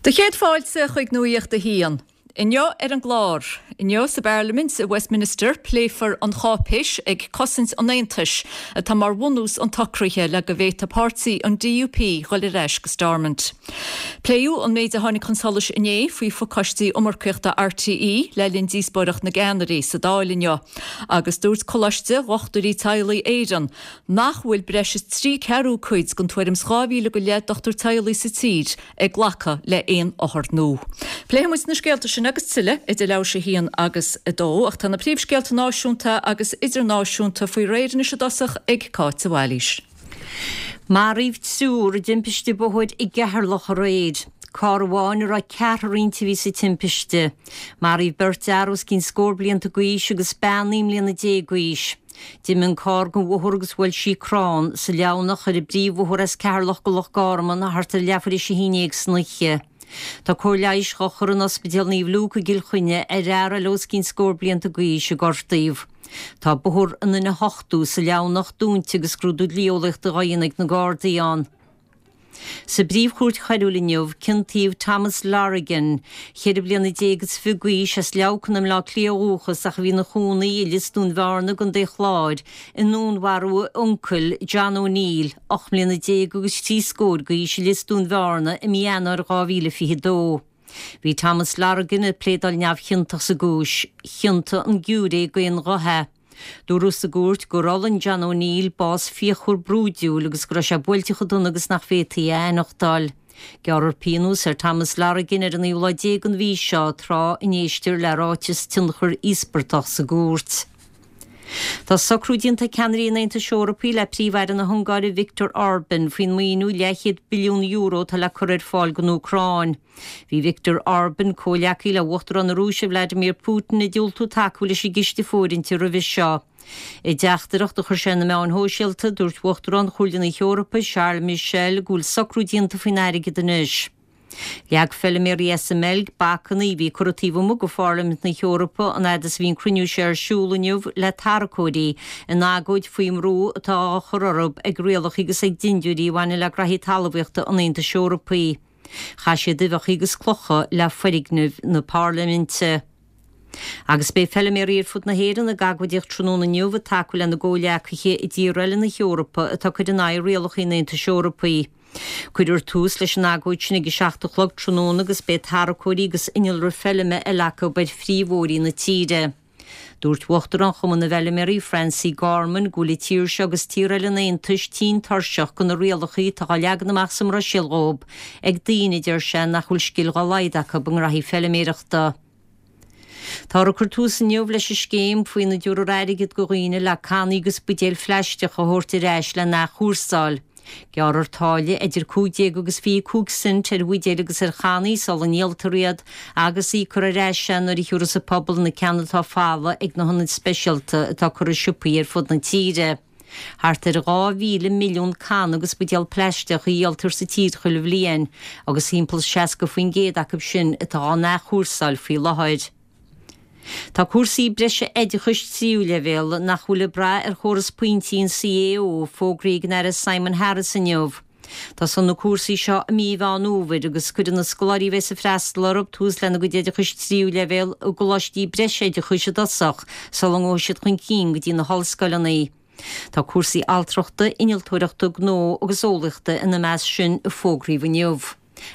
Do chéad fáilte chuig Nuacht a hAon. Inniu ar an gclár. Inniu sa bParlaimint i Westminster pléifear an cháipéis ag cosaint an Aontais atá mar bhunús an tsocraithe le go bhféadfaidh páirtí an DUP dhul ar ais go Stormont. Pléadh an méid a tháinig chun solais inné faoi phacáistí iomarcaíochta RTÉ le linn díospóireacht na gceannairí sa Dáil inniu agus dúirt Coláiste Dhochtúirí Teaghlaigh Éireann nach bhfuil breis is 3 ceathrú cuid den tuairim is 2,000 go leith dochtúir teaghlaigh sa tír ag glacadh le haon othar nua. Pléifidh muid na scéalta sin agus tuilleadh idir leathuair tar éis a haon agus a dó, ach tá na príomhscéalta náisiúnta agus idirnáisiúnta faoi réir anois i dtosach ag Cáit de Bhailís. Maraíodh triúr i dtimpiste bóthair i gCeatharlach aréir. Carr amháin a raibh ceathrar inti a bhí sa timpiste. Maraíodh beirt fhear os cionn scór blianta d'aois agus bean 19 mbliana d'aois. D'imigh an carr den bhóthar agus bhuail sí crann sa Leamhnach ar an bpríomhbhóthar as Ceatharlach go Loch Garman thart ar leathuair tar éis a haon dhéag san oíche. Tá cóir leighis dhá chur in Ospidéal Naomh Luke i gCill Chainnigh ar fhear eile os cionn scór blianta d'aois a gortaíodh. Tá bóthar an N80 sa Leamhnach dúnta agus scrúdú dlí-eolaíochta dhá dhéanamh ag na Gardaí ann. Sa bPríomh-Chúirt Choiriúil inniu, ciontaíodh Thomas Lorigan, 24 bliana is fiche d'aois, as Leamhcán i mBleá Cliath ó dhúchas ach a bhí ina chónaí i Lios Dúin Bhearna i gContae Chláir, i ndúnmharú a uncail, John O'Neill, 18 mbliana agus thrí scór d'aois i Lios Dúin Bhearna i mí Eanáir 2022. Bhí Thomas Lorigan ag pléadáil neamhchiontach sa gcúis. Chiontaigh an giúiré d'aon ghuth é. Dúradh sa gcúirt gur fhulaing John O'Neill bás fíochmhar brúidiúil agus go raibh sé buailte chomh dona agus nach bhféadfaí é a aithneachtáil. Gearrfar pionós ar Thomas Lorigan ar an naoú lá déag den mhí seo tráth a n-éistear le ráiteas tionchar íospartach sa gcúirt. Tá socrú déanta ag ceannairí an Aontais Eorpaigh le Príomh-Aire na hUngáire Viktor Orban faoin maoiniú leathchéad billiún euro atá le cur ar fáil don Úcráin. Bhí Viktor Orban, comhghleacaí le Uachtarán na Rúise Vladimir Putin, ag diúltú tacú leis an gciste fóirithinte roimhe seo. I dteachtaireacht a chuir sé ar na meáin shóisialta, dúirt Uachtarán Chomhairle na hEorpa, Charles Michel, go bhfuil socrú déanta faoin airgead anois. Leag feiliméaraí as an mBeilg bacanna a bhí curtha taobh amuigh de Pharlaimint na hEorpa an fhad is a bhí an cruinniú seo ar siúl inniu le tarracóirí in agóid faoin mbrú atá á chur orthu ag rialacha agus ag dindiúirí a bhaineann le graithí talmhaíochta an Aontais Eorpaigh. Chaith siad uibheacha agus clocha le foirgnimh na Parlaiminte. Agus beidh feiliméaraí ar fud na hÉireann ag agóidíocht tráthnóna inniu ag tacú lena gcomhghleacaithe i dtíortha eile na hEorpa atá ag cur in aghaidh rialacha an Aontais Eorpaigh. Cuirfear tús leis an agóid sin ag a 7 a chlog tráthnóna agus beidh tarracóirí agus innealra feilme eile acu ar phríomhbhóithrí na tíre. Dúirt Uachtarán Chumann na bhFeiliméaraí, Francie Gorman, go bhfuil an tír seo agus tíortha eile an Aontais tinn tuirseach de na rialacha atá á leagan amach sa mBruiséil dhóibh ag daoine, a deir sé, nach bhfuil scil dhá laghad acu i ngraithí feiliméireachta. Táthar ag cur tús inniu leis an scéim faoina dtabharfar airgead do dhaoine le cannaí agus buidéil phlaisteacha a thabhairt ar ais le n-athchúrsáil. Gearrfar táille idir 15 agus 25 cent ar bhuidéil agus ar channaí sula ndíoltar iad agus íocfar ar ais é nuair a thiúrfas an pobal na ceanna atá folamh ag na hionaid speisialta atá curtha i siopaí ar fud na tíre. Thart ar 2,000 milliún canna agus buidéal plaisteach a dhíoltar sa tír chuile bhliain agus thimpeall 60% acu sin atá á n-athchúrsáil faoi láthair. Tá cúrsaí breise oideachais tríú leibhéal nach bhfuil ag brath ar chóras pointí an CAO fógraithe ag an Aire Simon Harris inniu. Tosóidh na cúrsaí seo i mí Mheán Fhómhair agus cuirfidh na scoláirí a bheas ag freastal orthu tús lena gcuid oideachais tríú leibhéal i gcoláistí breise oideachais i dtosach sula ngabhfaidh siad chun cinn go dtí na hollscoileanna. Tá cúrsaí altrachta, innealtóireachta, gnó agus eolaíochta ina measc sin a fógraíodh inniu.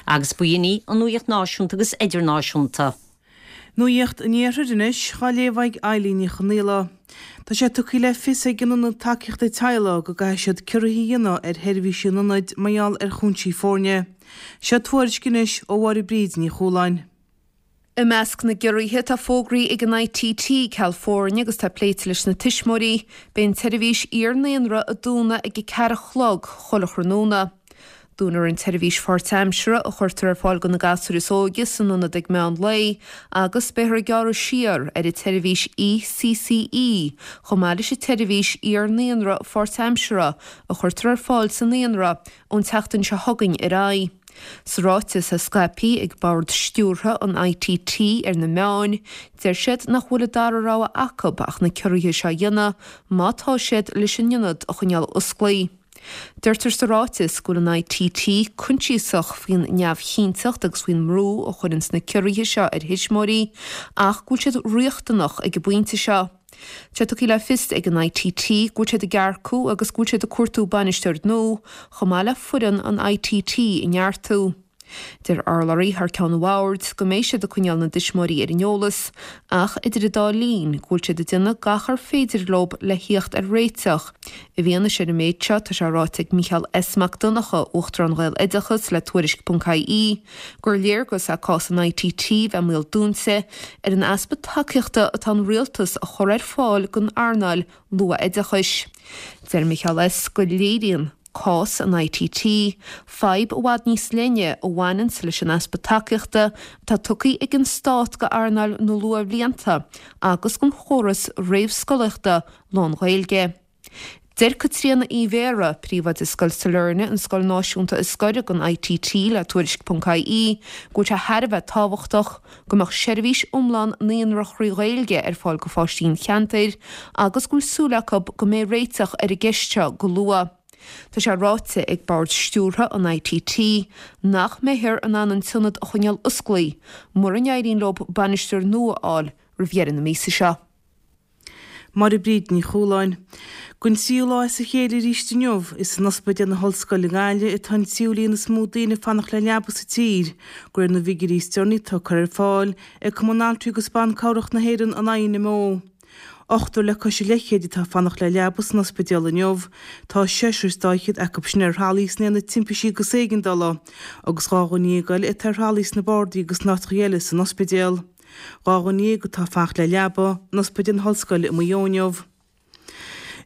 Agus b'in í an nuaíocht náisiúnta agus idirnáisiúnta. Nuacht an Iarthair anois, á léamh ag Eilín Ní Chonaola. Tá sé tugtha le fios ag an Ionad Tacaíochta Teaghlaigh go gcaithfidh siad ciorruithe a dhéanamh ar sheirbhísí an ionaid mar gheall ar chúinsí foirne. Seo tuairisc anois ó Mháire Bríd Ní Chualáin. I measc na gciorruithe atá fógraithe ag an ITT, ceal foirne agus tá pléite leis na tuismitheoirí, beidh an tseirbhís iar-naíonra ag dúnadh ag a ceathair a chlog chuile thráthnóna. Dúnfar an tseirbhís pháirtaimseartha a chuirtear ar fáil do na gasúir is óige san ionad ag meán lae agus beifear ag gearradh siar ar an tseirbhís ECCE chomh maith leis an tseirbhís iar-naíonra pháirtaimseartha a chuirtear ar fáil sa naíonra ón tseachtain seo chugainn ar aghaidh. Sa ráiteas a scaipthe ag bord stiúrtha an ITT ar na meáin, deir siad nach bhfuil an dara rogha acu ach na ciorruithe seo a dhéanamh má tá siad leis an ionad a choinneáil osclaí. Deirtear sa ráiteas go bhfuil an ITT coinsiasach faoin neamhchinnteacht agus faoin mbrú a chuireanns na ciorruithe seo ar thuismitheoirí ach go bhfuil siad riachtanach ag an bpointe seo. Tá sé tugtha le fios ag an ITT go bhfuil siad ag earcú agus go bhfuil siad ag cuartú bainisteoir nua chomh maith le foireann an ITT a neartú. Deir urlabhraí thar ceann an bhoird go mbeidh siad ag coinneáil na dtuismitheoirí ar an eolas ach idir an dá linn go bhfuil siad ag déanamh gach ar féidir leo le thíocht ar réiteach. I bhfianaise ar an méid seo tá sé ráite ag Mícheál S Mac Donncha, Uachtarán Ghaeloideachas le Tuairisc.ie, gur léargas é cás an ITT bheith i mbaol dúnta ar an easpa tacaíochta atá an rialtas a chur ar fáil don earnáil luath-oideachais. Deir Mícheál S go léiríonn. Cás an ITT, fadhb i bhfad níos leithne a bhaineanns leis an easpa tacaíochta atá tugtha ag an stát go earnáil na luathbhlianta agus don chóras réamhscolaíochta lán-Ghaeilge. Deir Caitríona Uí Bhéarra, príomhoide Scoil Sailearna, an scoil náisiúnta is gaire don ITT le Tuairisc.ie, go bhfuil sé thar a bheith tábhachtach go mbeadh seirbhís iomlán naíonra thrí Ghaeilge ar fáil go pháistí an cheantair agus go bhfuil súil acu go mbeidh réiteach ar an gceist seo go luath. Tá sé ráite ag Bord Stiúrtha an ITT nach mbeifear in ann an t-ionad a choinneáil osclaí mura n-éiríonn leo bainisteoir nua a fháil roimh dheireadh na míosa seo. Máire Bríd Ní Chualáin. Don tríú lá as a chéile arís inniu, is in Ospidéal na hOllscoile i nGaillimh atá an tríú líon is mó daoine ag fanacht le leaba sa tír, de réir na bhfigiúirí is deireanaí atá curtha ar fáil ag Cumann Altraí agus Ban Cabhrach na hÉireann, an INMO. Ochtar le cois a leithchéid atá ag fanacht le leaba san ospidéal inniu. Tá seisear is dá fhichead acu sin ar thralaí san aonad timpistí agus éigeandála, agus 12 dhuine eile atá ar thralaí sna bardaí agus in áiteacha eile san ospidéal. 12 dhuine atá ag fanacht le leaba in Ospidéal na hOllscoile i Maigh Eo inniu.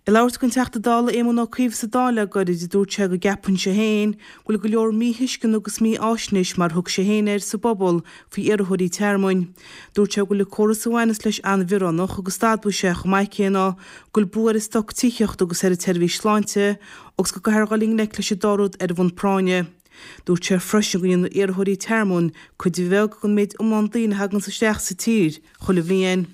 Ag labhairt don Teachta Dála Éamon Ó Cuív sa Dáil le gairid, dúirt sé go gceapann sé féin go bhfuil go leor míthuisceana agus mífháisnéis mar a thug sé féin air sa bpobal faoi iarrthóirí tearmainn. Dúirt sé go bhfuil an córas a bhaineas leis an-bhioránach agus d'admhaigh sé chomh maith céanna go bhfuil brú ar an stoc tithíochta agus ar an tseirbhís sláinte agus go gcaithfear dhul i ngleic leis an dá rud ar bhonn práinne. Dúirt sé freisin go ndéanann iarrthóirí tearmainn cuid bheag den méid iomlán daoine a thaganns isteach sa tír chuile bhliain.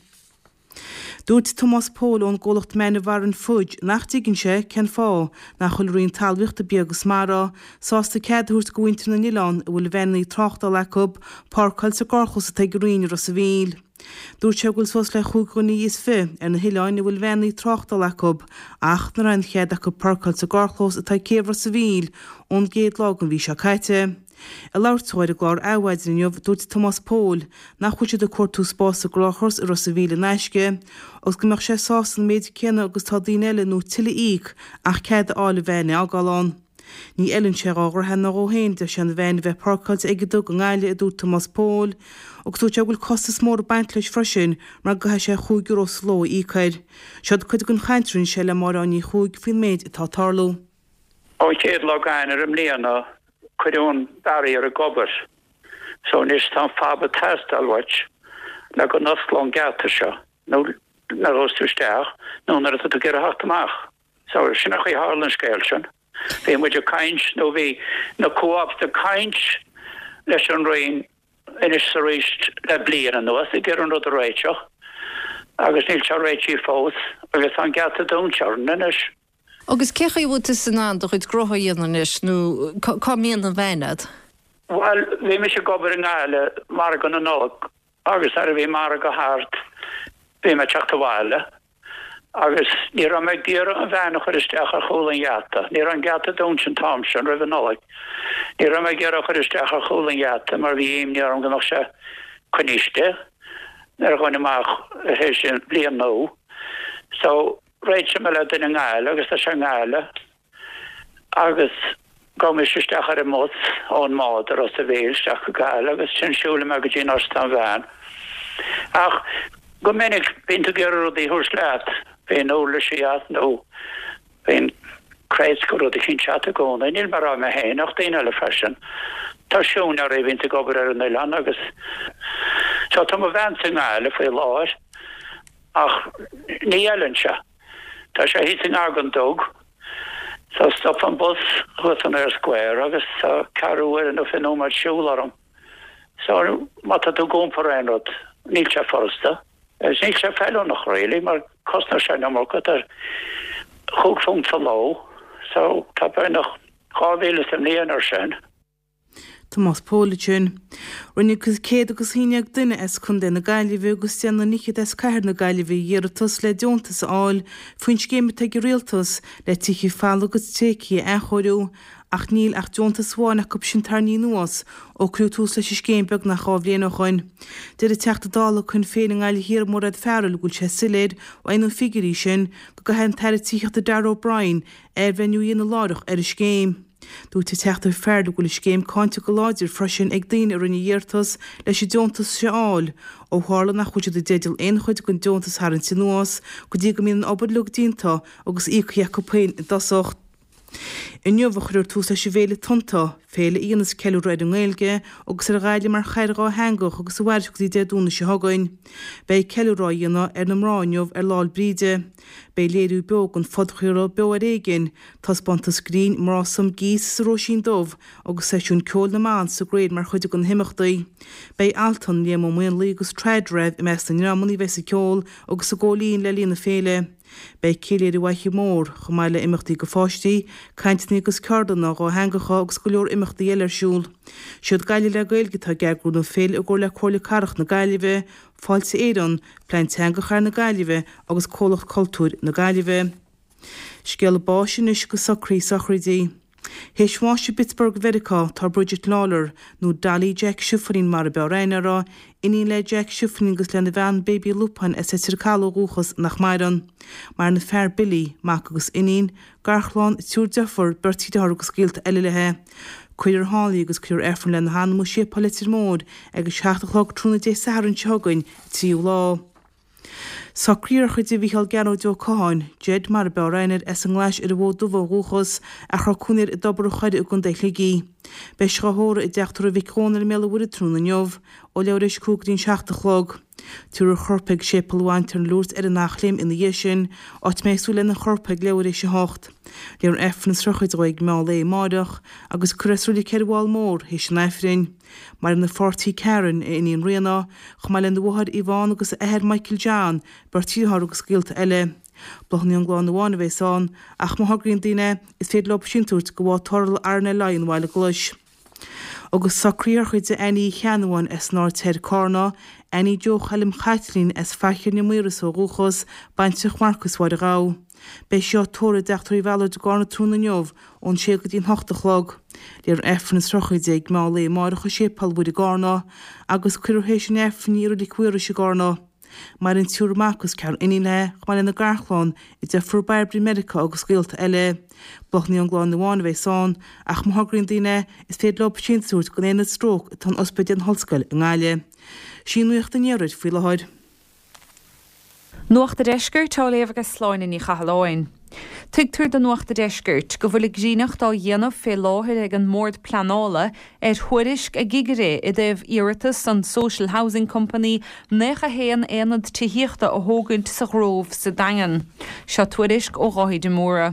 Dúirt Tomás Póil ón gcomhlacht Meanbharren Fudge nach dtuigeann sé cén fáth nach bhfuil Roinn Talmhaíochta Bia agus Mara sásta cead a thabhairt go mhuintir na n-oileán a bhfuil veaineanna tráchtála acu páirceáil sa gcarrchlós atá ag an Roinn i Ros a' Mhíl. Dúirt sé go bhfuil suas le chúig dhuine is fi ar na hoileáin a bhfuil veaineanna tráchtála acu ach nach raibh aon chead acu páirceáil sa gcarrchlós atá ag céibh Ros a' Mhíl ón gcéad lá den mhí seo caite. Ag labhairt dó ar an gclár Adhmhaidin inniu, dúirt Tomás Póil nach bhfuil siad ag cuartú spás sa gcarrchlós i Ros a' Mhíl in aisce agus go mbeadh sé sásta an méid céanna agus tá daoine eile nó tuilleadh a íoc ach cead a fháil an veain a fhágáil ann. Ní fheileann sé dhá dheartháir ná dhó féin, deir sé, an veain a bheith páirceáilte ag an dug i nGaillimh, a dúirt Tomás Póil, agus dúirt sé go bhfuil costas mór ag baint leis freisin mar go gcaithfidh sé €5 sa ló a íoc air. Seod cuid den chaint a rinne sé le Máire Áine Ní Chuaig faoin méid atá ag tarlú. Ón chéad lá d'Eanáir i mbliana cuireadh an barrier ag obair so anois tá an fob ag teastáil uait le go n-osclódh an geata seo nó nuair a ghabhas tú isteach nó nuair atá tú ag iarraidh theacht amach. So sin an chaoi a tharla an scéal sin. Bhí muid ag caint nó bhí na co-ops ag caint leis an Roinn anois is arís le bliain anuas ag iarraidh an rud a réiteach agus níl sé réitithe fós agus tá an geata dúnta orainn anois. Agus cé chaoi a bhfuil tusa in ann do chuid gnótha a dhéanamh anois nó cá mbíonn an veain a'd? Bhuel, bhí mise ag obair i nGaillimh, margadh na Nollag, agus nuair a bhí margadh thart bhí mé ag teacht abhaile agus ní raibh mé ag iarraidh an veain a chur isteach ar chúl an gheata. Ní raibh an geata dúnta an t-am sin, roimh an Nollaig. Ní raibh mé ag iarraidh a chur isteach ar chúl an gheata mar bhí imní orm go mbeadh sé coinnithe istigh nuair a ghabhfainn amach tar éis an bhliain nua. So, réitigh mé le duine i nGaillimh agus tá sé i nGaillimh. Agus gabhaim mise isteach ar an mbus ón mbád i Ros a' Mhíl isteach go Gaillimh agus ansin siúlaim mé go dtí an áit atá an veain. Ach go minic bíonn tú ag iarraidh rudaí a thabhairt leat, bíonn uirlisí a't nó bíonn crates go rud eicínt a't i gcónaí. Níl mé ag rá mé féin ach daoine eile freisin. Tá siúinéirí a bhíonns ag obair ar an oileán agus so tá mo veainsa i nGaillimh faoi láthair ach ní fheileann sé. Tá sé thíos i ngar don dug. So stop an bus thuas san Eyre Square agus tá ceathrú uaire nó 20 nóiméad siúl orm. So má tá tú ag iompar aon rud, níl sé furasta. Agus níl sé feiliúnach really mar cosnóidh sé an iomarca. Tá chúig phunt sa ló. So tá beagnach 2,000 sa mbliain ar sin. Tomás Pól ansin. Rinne 100 agus 11 duine as Contae na Gaillimhe agus deich nduine fhichead as Cathair na Gaillimhe iarratas le deontas a fháil faoin scéim atá ag an Rialtas le tithe folamh agus tréigthe a athchóiriú ach níl ach deontas amháin acu sin tarraingthe anuas ó cuireadh tús leis an scéim beagnach 2 bhliain ó shoin. Deir an Teachta Dála Shinn Féin i nGaillimh Thiar Mairéad Farrell go bhfuil sé soiléir ó na figiúirí sin go gcaithfidh an tAire Tithíochta Darragh O'Brien athbhreithniú a dhéanamh láithreach ar an scéim. Dúirt an Teachta Farrell go bhfuil an scéim cáinte go láidir freisin ag daoine a rinne iarratas leis an deontas seo a fháil, ó tharla nach bhfuil siad i dteideal aon chuid den deontas a tharraingt anuas go dtí go mbíonn an obair uilig déanta agus íoctha acu féin i dtosach. Inniu a chuirfear tús leis an bhFéile Tonnta, féile a dhéanas ceiliúradh ar an nGaeilge agus ar Ghaillimh mar chathair dhátheangach agus a mhairfidh go dtí Dé Domhnaigh seo chugainn. Beidh ceiliúradh á dhéanamh ar na mná inniu ar Lá 'le Bríde. Beidh léiriú beo den phodchraoladh Beo ar Éigean, taispeántas grinn Mná Some Geese sa Róisín Dubh agus seisiún ceoil na mban sa Grain mar chuid de na himeachtaí. Beidh Altan, Liam Ó Maonlaí agus Trad Rev i measc na ndreamanna a bheas ag ceol agus ag ól linn le linn na féile. Beidh céilí ar an bhFaiche Mhór, chomh maith le imeachtaí do pháistí, cainteanna agus ceardlanna dhátheangacha agus go leor imeachtaí eile ar siúl. Siad Gaillimh le Gaeilge atá ag eagrú na féile i gcomhar le Comhairle Cathrach na Gaillimhe, Fáilte Éireann, Plean Teanga Chathair na Gaillimhe agus Comhlucht Cultúir na Gaillimhe. Scéala báis anois agus socruithe sochraide. Théis bháis i bPittsburgh Mheiriceá tá Bridget Lawlor, nó Dolly Jack Shiflín mar a b'fhearr aithne uirthi, iníon le Jack Shiflín agus lena bhean Baby Lupine as Leitir Caladh ó dhúchas, nach maireann. Maireann a fear Billy, mac agus iníon, garchlann, triúr deirfiúr, beirt dheartháir agus gaolta eile léi. Cuirfear thall í agus cuirfear Aifreann lena hanam i Séipéal Leitir Móir ag a 7 a chlog tráthnóna Dé Sathairn seo chugainn, an 3ú lá. Socruithe sochraide Mhícheál Gearóid Ó Catháin, Ged mar a b'fhearr aithne air, as an nGlais ar an bhFód Dubh ó dhúchas, ach a raibh cónaí air i dTobar an Choire i gContae Shligigh. Beidh sé á thórramh i dTeach Tórraimh Mhic Dhónaill i mBéal an Mhuirthead tráthnóna inniu, ó leathuair théis 5 go dtí an 7 a chlog. Tabharfar a chorp ag Séipéal an Bhantiarna Lourdes ar an Eachléim ina dhiaidh sin, áit a mbeidh súil lena chorp ag leathuair théis 8. Léifear Aifreann na sochraide dhó ag meán lae amáireach, agus cuirfear é sa reilig ar an bhFál Mór théis an Aifrinn. Maireann a pháirtí Karen, a iníon Ríona, chomh maith lena mháthair Yvonne agus a athair Michael John, beirt dheartháir agus gaolta eile. Bláthanna ón gclann amháin a bheas ann, ach má thograíonn daoine, is féidir leo síntiús a thabhairt go Bád Tarrthála RNLI an Bhaile Ghlais. Agus socruithe sochraide Annie Uí Cheannabháin as an Aird Thoir, Cárna, Annie Joe Choilm Chaitlín as Faiche na Maoras ó dhúchas, baintreach Mharcais Mháire Ghabha. Beidh sí á tórramh i dTeach Tórraimh Bhallard i gCárna tráthnóna inniu ón sé go dtí an hocht a chlog. Léifear Aifreann na sochraide ag meán lae amáireach i Séipéal Mhuire i gCárna agus cuirfear théis an Aifrinn í i Reilig Mhaorais i gCárna. Maireann triúr mac agus ceathrar iníon léi, chomh maith lena garchlann, a deirfiúr Bairbre i Meiriceá agus gaolta eile. Bláthanna ón gclann amháin a bheas ann, ach má thograíonn daoine, is féidir leo síntiús a thabhairt don Aonad Stróc atá in Ospidéal na hOllscoile i nGaillimh. Sin í Nuacht an Iarthair faoi láthair. Nuacht a' Deiscirt á léamh ag Sláine Ní Chathalláin. Tuigtear do Nuacht a' Deiscirt go bhfuil greannacht á dhéanamh fé láthair ag an mBord Pleanála ar thuairisc a gcigire i dtaobh iarratas an Social Housing Company 91 aonad tithíochta a thógaint sa Ghrove sa Daingean. Seo tuairisc ó Dháithí de Mórdha.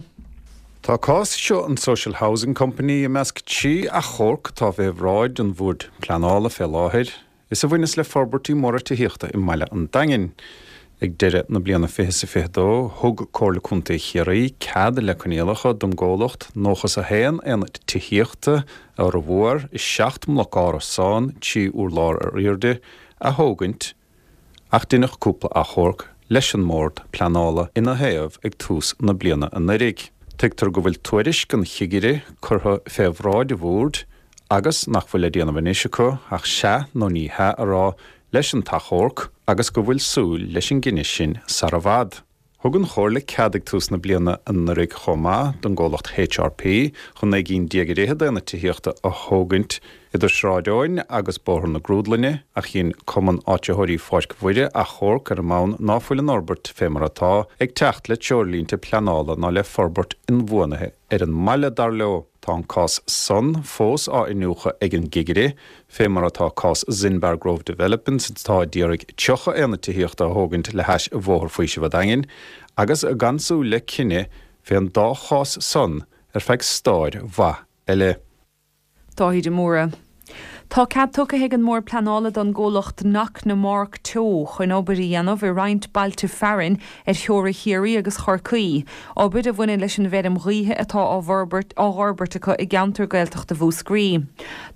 Tá cás seo an Social Housing Company i measc 3 achomharc atá fé bhráid an Bhoird Pleanála fé láthair. Is a bhaineas le forbairtí móra tithíochta i mbaile an Daingin. Ag deireadh na bliana 2022, thug Comhairle Contae Chiarraí cead le coinníollacha don gcomhlacht 91 aonad tithíochta, a fhormhór i seacht mbloc árasán, 3 urlár ar airde, a thógaint ach deineadh cúpla achomharc leis an mBord Pleanála ina thaobh ag tús na bliana anuiridh. Tuigtear go bhfuil tuairisc an chigire curtha fé bhráid an Bhoird agus nach bhfuil le déanamh anois acu ach sea nó ní hea a rá leis an t-achomharc agus go bhfuil súil leis an gcinneadh sin sara bhfad. Thug an Chomhairle cead ag tús na bliana anuraidh chomh maith don gcomhlacht HRP chun 19 gcinn ar fhichead d'aonaid tithíochta a thógaint idir Sráid Eoin agus Bóthar na Grúdlainne ach dhein Cumann Áititheoirí Pháirc Mhuire achomharc ar an mbonn ná fuil an fhorbairt fé mar atá ag teacht le treoirlínte pleanála ná le forbairt inbhuanaithe ar an mbaile, dar leo. Tá an cás san fós á iniúchadh ag an gcigire, fé mar atá cás Zinbar Grove Developments atá a d'iarraidh 30 aonad tithíochta a thógaint le hais Bhóthar Faoisimh a' Daingin, agus gan súil le cinneadh fén dá chás san ar feadh stáir mhaith eile. Dáithí de Mórdha. Tá cead tugtha ag an mBord Pleanála don gcomhlacht Knocknamark Teo chun obair a dhéanamh i roinnt bailte fearainn ar theora Chiarraí agus Chorcaí, obair a bhaineann leis an bhfeirm ghaoithe atá á fhorbairt acu i gceantar Gaeltachta Mhúscraí.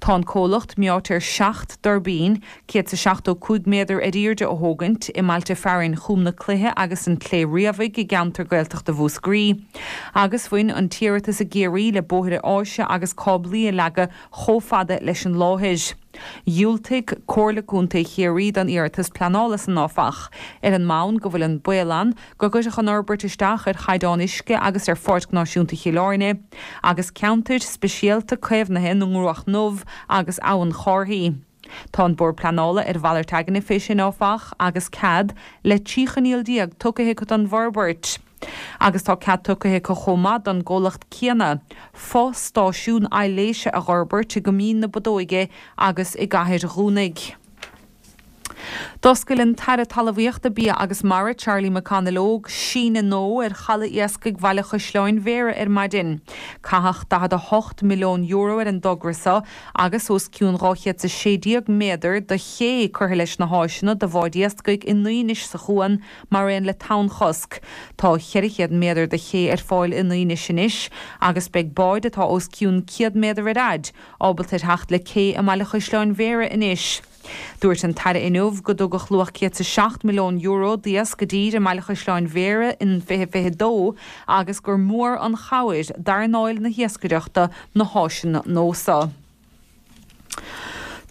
Tá an comhlacht meáite ar 7 dtuirbín, 175 méadar ar airde a thógaint, i mbailte fearainn Chúm na Cloiche agus an tSléibhe Riabhaigh i gceantar Gaeltachta Mhúscraí, agus bhain an t-iarratas i gCiarraí le bóithre áise agus cáblaí a leagadh chomh fada leis an láthair. Dhiúltaigh Comhairle Contae Chiarraí don iarratas pleanála san, áfach, ar an mbonn go bhfuil an baol ann go gcuirfeadh an fhorbairt isteach ar chaighdeán uisce agus ar Pháirc Náisiúnta Chill Airne agus ceantair speisialta caomhnaithe na nGruach nDubh agus Abhainn Chárthaí. Tá an Bord Pleanála ar mhalairt aigne fé sin, áfach, agus cead le 13 choinníoll tugtha acu don bhforbairt. Agus tá cead tugtha acu chomh maith don gcomhlacht céanna fo-stáisiún aibhléise a dh'fhorbairt i gCoimín na Bodóige agus i gCathair Dhúnaigh. D'oscail an tAire Talmhaíochta, Bia agus Mara, Charlie McConalogue, síneadh nua ar Chaladh Iascaigh Bhaile Chaisleáin Bhéarra ar maidin. Caitheadh €48 milliún ar an dtogra seo agus os cionn 216 méadar de ché curtha leis na háiseanna do bháid iascaigh i nDuínis sa chuan mar aon le tonnchosc. Tá 400 méadar de ché ar fáil i nDuínis anois agus beidh báid atá os cionn 100 méadar ar fhaid ábalta ar theacht le cé i mBaile Chaisleáin Bhéarra anois. Dúirt an tAire inniu go dtugadh luach €107 milliún d'iasc i dtír i mBaile Chaisleáin Bhéarra in 2022 agus gur mór an chabhair d'earnáil na hiascaireachta na háiseanna nua seo.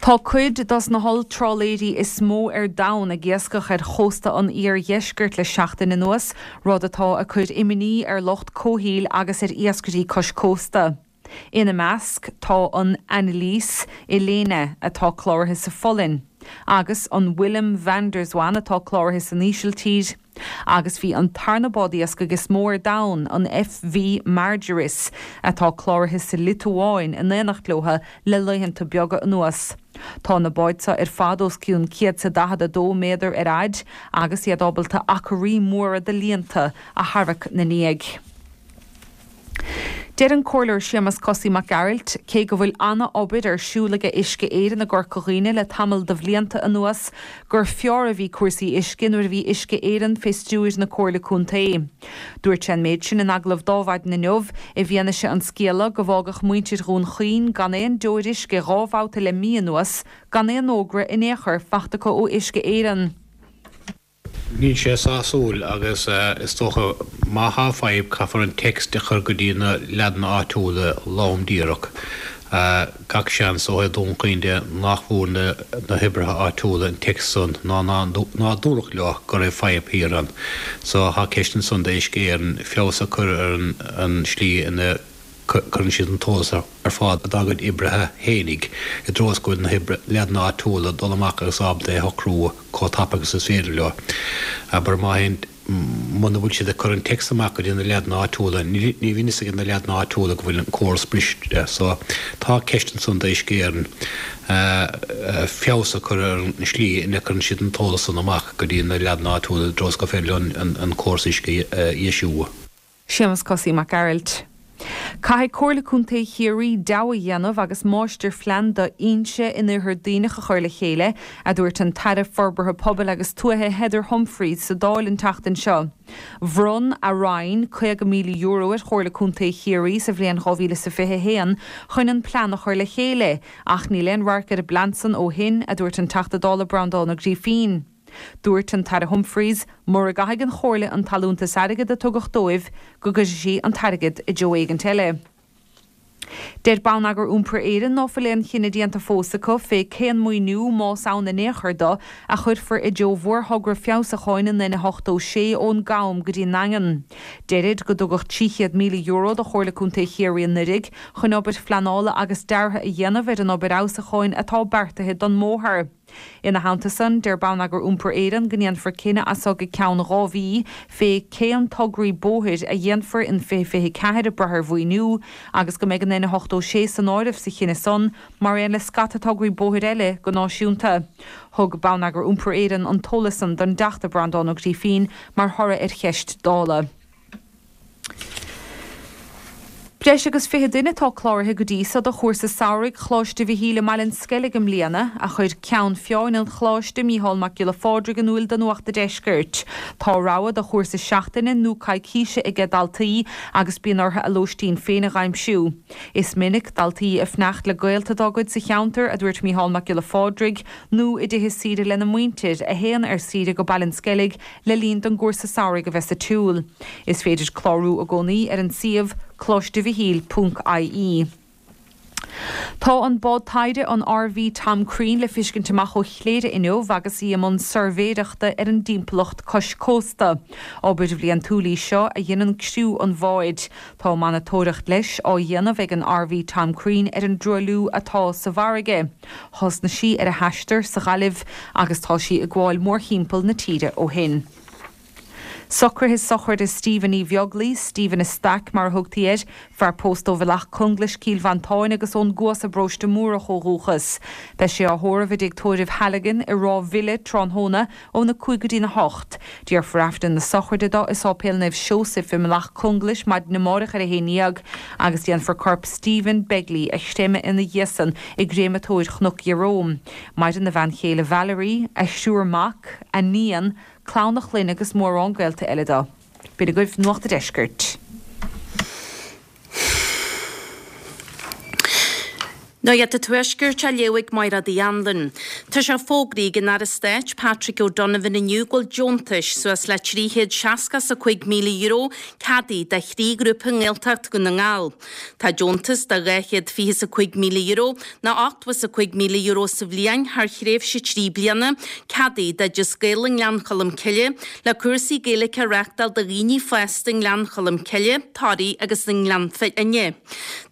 Tá cuid dos na holltrálaeirí is mó ar domhan ag iascach ar chósta an iardheiscirt le seachtain anuas, rud atá ag cur imní ar lucht comhshaoil agus ar iascairí cois cósta. Ina measc tá an Annelies Ilene atá cláraithe sa Pholainn, agus an Willem van der Zwan atá cláraithe san Ísiltír, agus bhí an tarna bád iascaigh is mó ar domhan, an FV Margiris, atá cláraithe sa Liotuáin in éineacht leo le laethanta beaga anuas. Tá na báid seo ar fad os cionn 142 méadar ar fhaid agus iad ábalta acraí móra de líonta a tharrac 'na ndiaidh. Deir an Comhairleoir Séamus Cosaí Mac Gearailt, cé go bhfuil ana-obair ar siúl aige Uisce Éireann i gCorca Dhuibhne le tamall de bhlianta anuas, gur fearr a bhí cúrsaí uisce nuair a bhí Uisce Éireann fé stiúir na Comhairle Contae. Dúirt sé an méid sin in agallamh d'Adhmhaidin inniu i bhfianaise an scéala go bhfágadh muintir Dhún Chaoin gan aon deoir uisce dhá bhabhta le mí anuas gan aon fhógra in aon chor fachta acu ó Uisce Éireann. Níl sé sásúil agus is dócha má thá fadhb caithfear an text a chur go dtí na leaideanna áitiúla lom díreach. Gach seans ó thaobh Dún Chaoin de nach bhfuair na hoibrithe áitiúla an text san ná ná dúradh leo go raibh fadhb thiar ann. So thá ceist ansan d'Uisce Éireann feabhas a chur ar an slí ina cuireann siad an t-eolas ar fáil dá gcuid oibrithe fhéinig i dtreo is go bhfuil na leaideanna áitiúla ag dul amach agus ábalta é a shocrú chomh tapa agus is féidir leo. Abair má théann, muna bhfuil siad ag cur an text amach go dtí na leaideanna áitiúla, ní bhíonn fhios ag na leaideanna áitiúla go bhfuil an córas briste. So, tá ceist ansan d'Uisce Éireann feabhas a chur ar an slí ina gcuireann siad an t-eolas san amach go dtí na leaideanna áitiúla i dtreo is gur féidir leo an córas uisce a dheisiú. Séamus Cosaí Mac Gearailt. Caithfidh Comhairle Contae Chiarraí deabhadh a dhéanamh agus máistirphlean d'fhoinse in Iarthar Duibhneach a chur le chéile, a dúirt an tAire Forbartha Pobail agus Tuaithe Heather Humphreys sa Dáil an tseachtain seo. Bhronn a Roinn €50,000 ar Chomhairle Contae Chiarraí sa bhliain 2021 chun an plean a chur le chéile, ach níl aon radharc ar an bplean san ó shin, a dúirt an Teachta Dála Breandán Ó Grífín. Dúirt an tAire Humphreys, mura gcaithfidh an Chomhairle an t-allúntas airgid a tugadh dóibh, go gcuirfidh sí an t-airgead i dtreo éigint eile. Deir Bonneagar Iompair Éireann ná fuil aon chinneadh déanta fós acu fé cén maoiniú, más ann in aon chor do, a chuirfear i dtreo mhórthogra feabhsúcháin an N86 ón gCam go dtí an nDaingean. Deirid go dtugadh €300,000 do Chomhairle Contae Chiarraí anuiridh chun obair phleanála agus deartha a dhéanamh ar an obair fheabhsúcháin atá beartaithe don mbóthar. Ina theannta san, deir Bonneagar Iompair Éireann go ndéanfar cinneadh as so go ceann 2 mhí fé cén tograí bóthair a dhéanfar in 2024 ag brath ar mhaoiniú agus go mbeidh an N86 san áireamh sa chinneadh san mar aon le scata tograí bóthair eile go náisiúnta. Thug Bonneagar Iompair Éireann an t-eolas san don dTeachta Breandán Ó Grífín mar thoradh ar cheist Dála. Breis agus 20 duine atá cláraithe go dtí so do chúrsa samhraidh Choláiste Mhichíl i mBaile an Sceilg i mbliana, a chuir Ceann Feadhain an Choláiste, Mícheál Mac Giolla Phádraig in iúil do Nuacht a' Deiscirt. Tá rogha de chúrsa seachtaine nó coicíse aige daltaí agus bíonn orthu a lóistín féin a dh'aimsiú. Is minic daltaí ag fanacht le gaolta dá gcuid sa cheantar, a dúirt Mícheál Mac Giolla Phádraig, nó i dtithe saoire lena muintir, a théann ar saoire go Baile an Sceilg le linn don gcúrsa samhraidh a bheith sa tsiúl. Is féidir clárú i gcónaí ar an suíomh coláistemhichíl ponc ie. Tá an bád taighde an RV Tom Crean le fiscint amach ó Chléire inniu agus í i mbun suirbhéireachta ar an dtimpeallacht cois cósta. Obair bhliantúil í seo a dhéanann criú an bháid. Tá monatóireacht leis á dhéanamh ag an RV Tom Crean ar an dtruailliú atá sa bhfarraige. Thosnaigh sí ar a haistear sa Ghaillimh agus tá sí ag gabháil mórthimpeall na tíre ó shin. Socruithe sochraide Stephen Uí Bheaglaoi, Stephen a' Staic mar a thugtaí air, fear pósta ó Bhealach Conglais, Cill Mhantáin agus ón gCuas i bParóiste Múrach ó dhúchas. Beidh sé á thórramh i dTigh Tórraimh Halligan i Ráth Bhile tráthnóna óna 5 go dtína 8. Déarfar Aifreann na sochraide dó i Sáipéal Naomh Seosaimh i mBealach Conglais maidin amáireach ar a 11 agus déanfar corp Stephen Begley a chreimeadh ina dhiaidh san i gcréamatóir Chnoc Ieróm. Maireann a bhean chéile Valerie, a thriúr mac, a níon, clann a chlainne agus mórán gaolta eile dó. B'in agaibh Nuacht a' Deiscirt. Nuacht a' Tuaiscirt á léamh ag Máiréad Uí Anluain. Tá sé fógraithe ag an Aire Stáit Patrick O'Donovan inniu go bhfuil deontais suas le €365,000 ceadaithe do thrí ghrúpa i nGaeltacht Dhún na nGall. Tá deontas de €225,000 nó €85,000 sa bhliain thar thréimhse 3 bliana ceadaithe d'Oideas Gael i nGleann Cholm Cille le cúrsaí Gaeilge a reáchtáil do dhaoine fásta i nGleann Cholm Cille, Toraigh agus i nGleann Fhinne.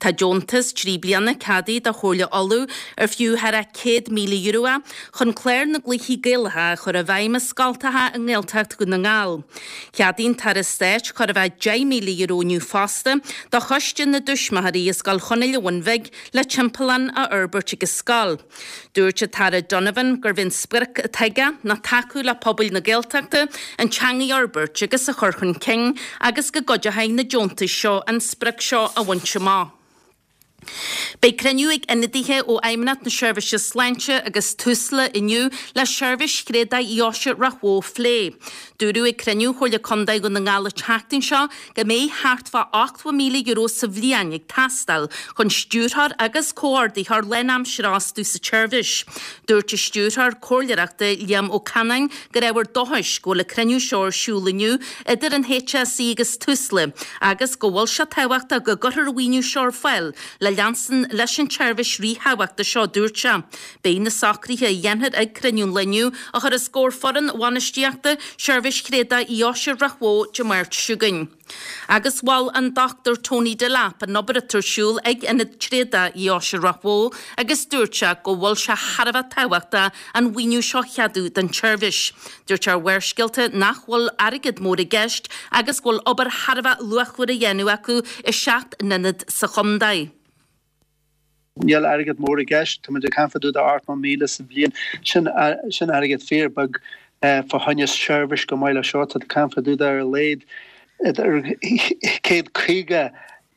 Tá deontas 3 bliana ceadaithe do Chomhairle Uladh ar fiú thar €100,000 é chun clár na gCluichí Gaelacha a chur i bhfeidhm i scoltacha i nGaeltacht Dhún na nGall. Cheadaigh an tAire Stáit chóir a bheith €10,000 inniu fosta do Choiste na dTuismitheoirí i Scoil Chonaill an Bhun Bhig le timpeallán a fhorbairt ag an scoil. Dúirt an tAire Donovan gurb é an sprioc atá aige ná tacú le pobail na Gaeltachta an teanga a fhorbairt agus a chur chun cinn agus go gcuideoidh na deontais seo an sprioc seo a bhaint amach. Beidh cruinniú ag ionadaithe ó Fheidhmeannacht na Seirbhíse Sláinte agus Tusla inniu le seirbhís thréadach Dheoise Ráth Bhoth a phlé. Dúradh ag cruinniú Chomhairle Contae Dhún na nGall an tseachtain seo go mbeidh thart fá €80,000 sa bhliain ag teastáil chun stiúrthóir agus comhordaitheoir lánaimseartha a fhostú sa tseirbhís. Dúirt an Stiúrthóir Comhairleoireachta Liam Ó Canáin gur ábhar dóchais go bhfuil an cruinniú seo ar siúl inniu idir an HSE agus Tusla agus go bhfuil sé tábhachtach go gcuirfear an mhaoiniú seo ar fáil le leanstan leis an tseirbhís ríthábhachtach seo, dúirt sé. Beidh na socruithe a dhéanfar ag cruinniú an lae inniu á chur os comhair foireann bhainistíochta Sheirbhís Thréadach Dheoise Ráth Bhoth Dé Máirt seo chugainn. Agus mhol an Dr Tony Delap an obair atá ar siúl ag Ionad Tréadach Dheoise Ráth Bhoth agus dúirt sé go bhfuil sé thar a bheith tábhachtach an mhaoiniú seo a cheadú don tseirbhís. Dúirt sé ar Bharrscéalta nach bhfuil airgead mór i gceist agus go bhfuil obair thar a bheith luachmhar á dhéanamh acu i seacht n-ionad sa chontae. Níl airgead mór i gceist, tá muid ag caint fá dtaobh de 80,000 sa bhliain. Sin, sin airgead fíor beag fá choinne seirbhís chomh maith le seo. Tá tú ag caint fá dtaobh de ar a laghad idir 150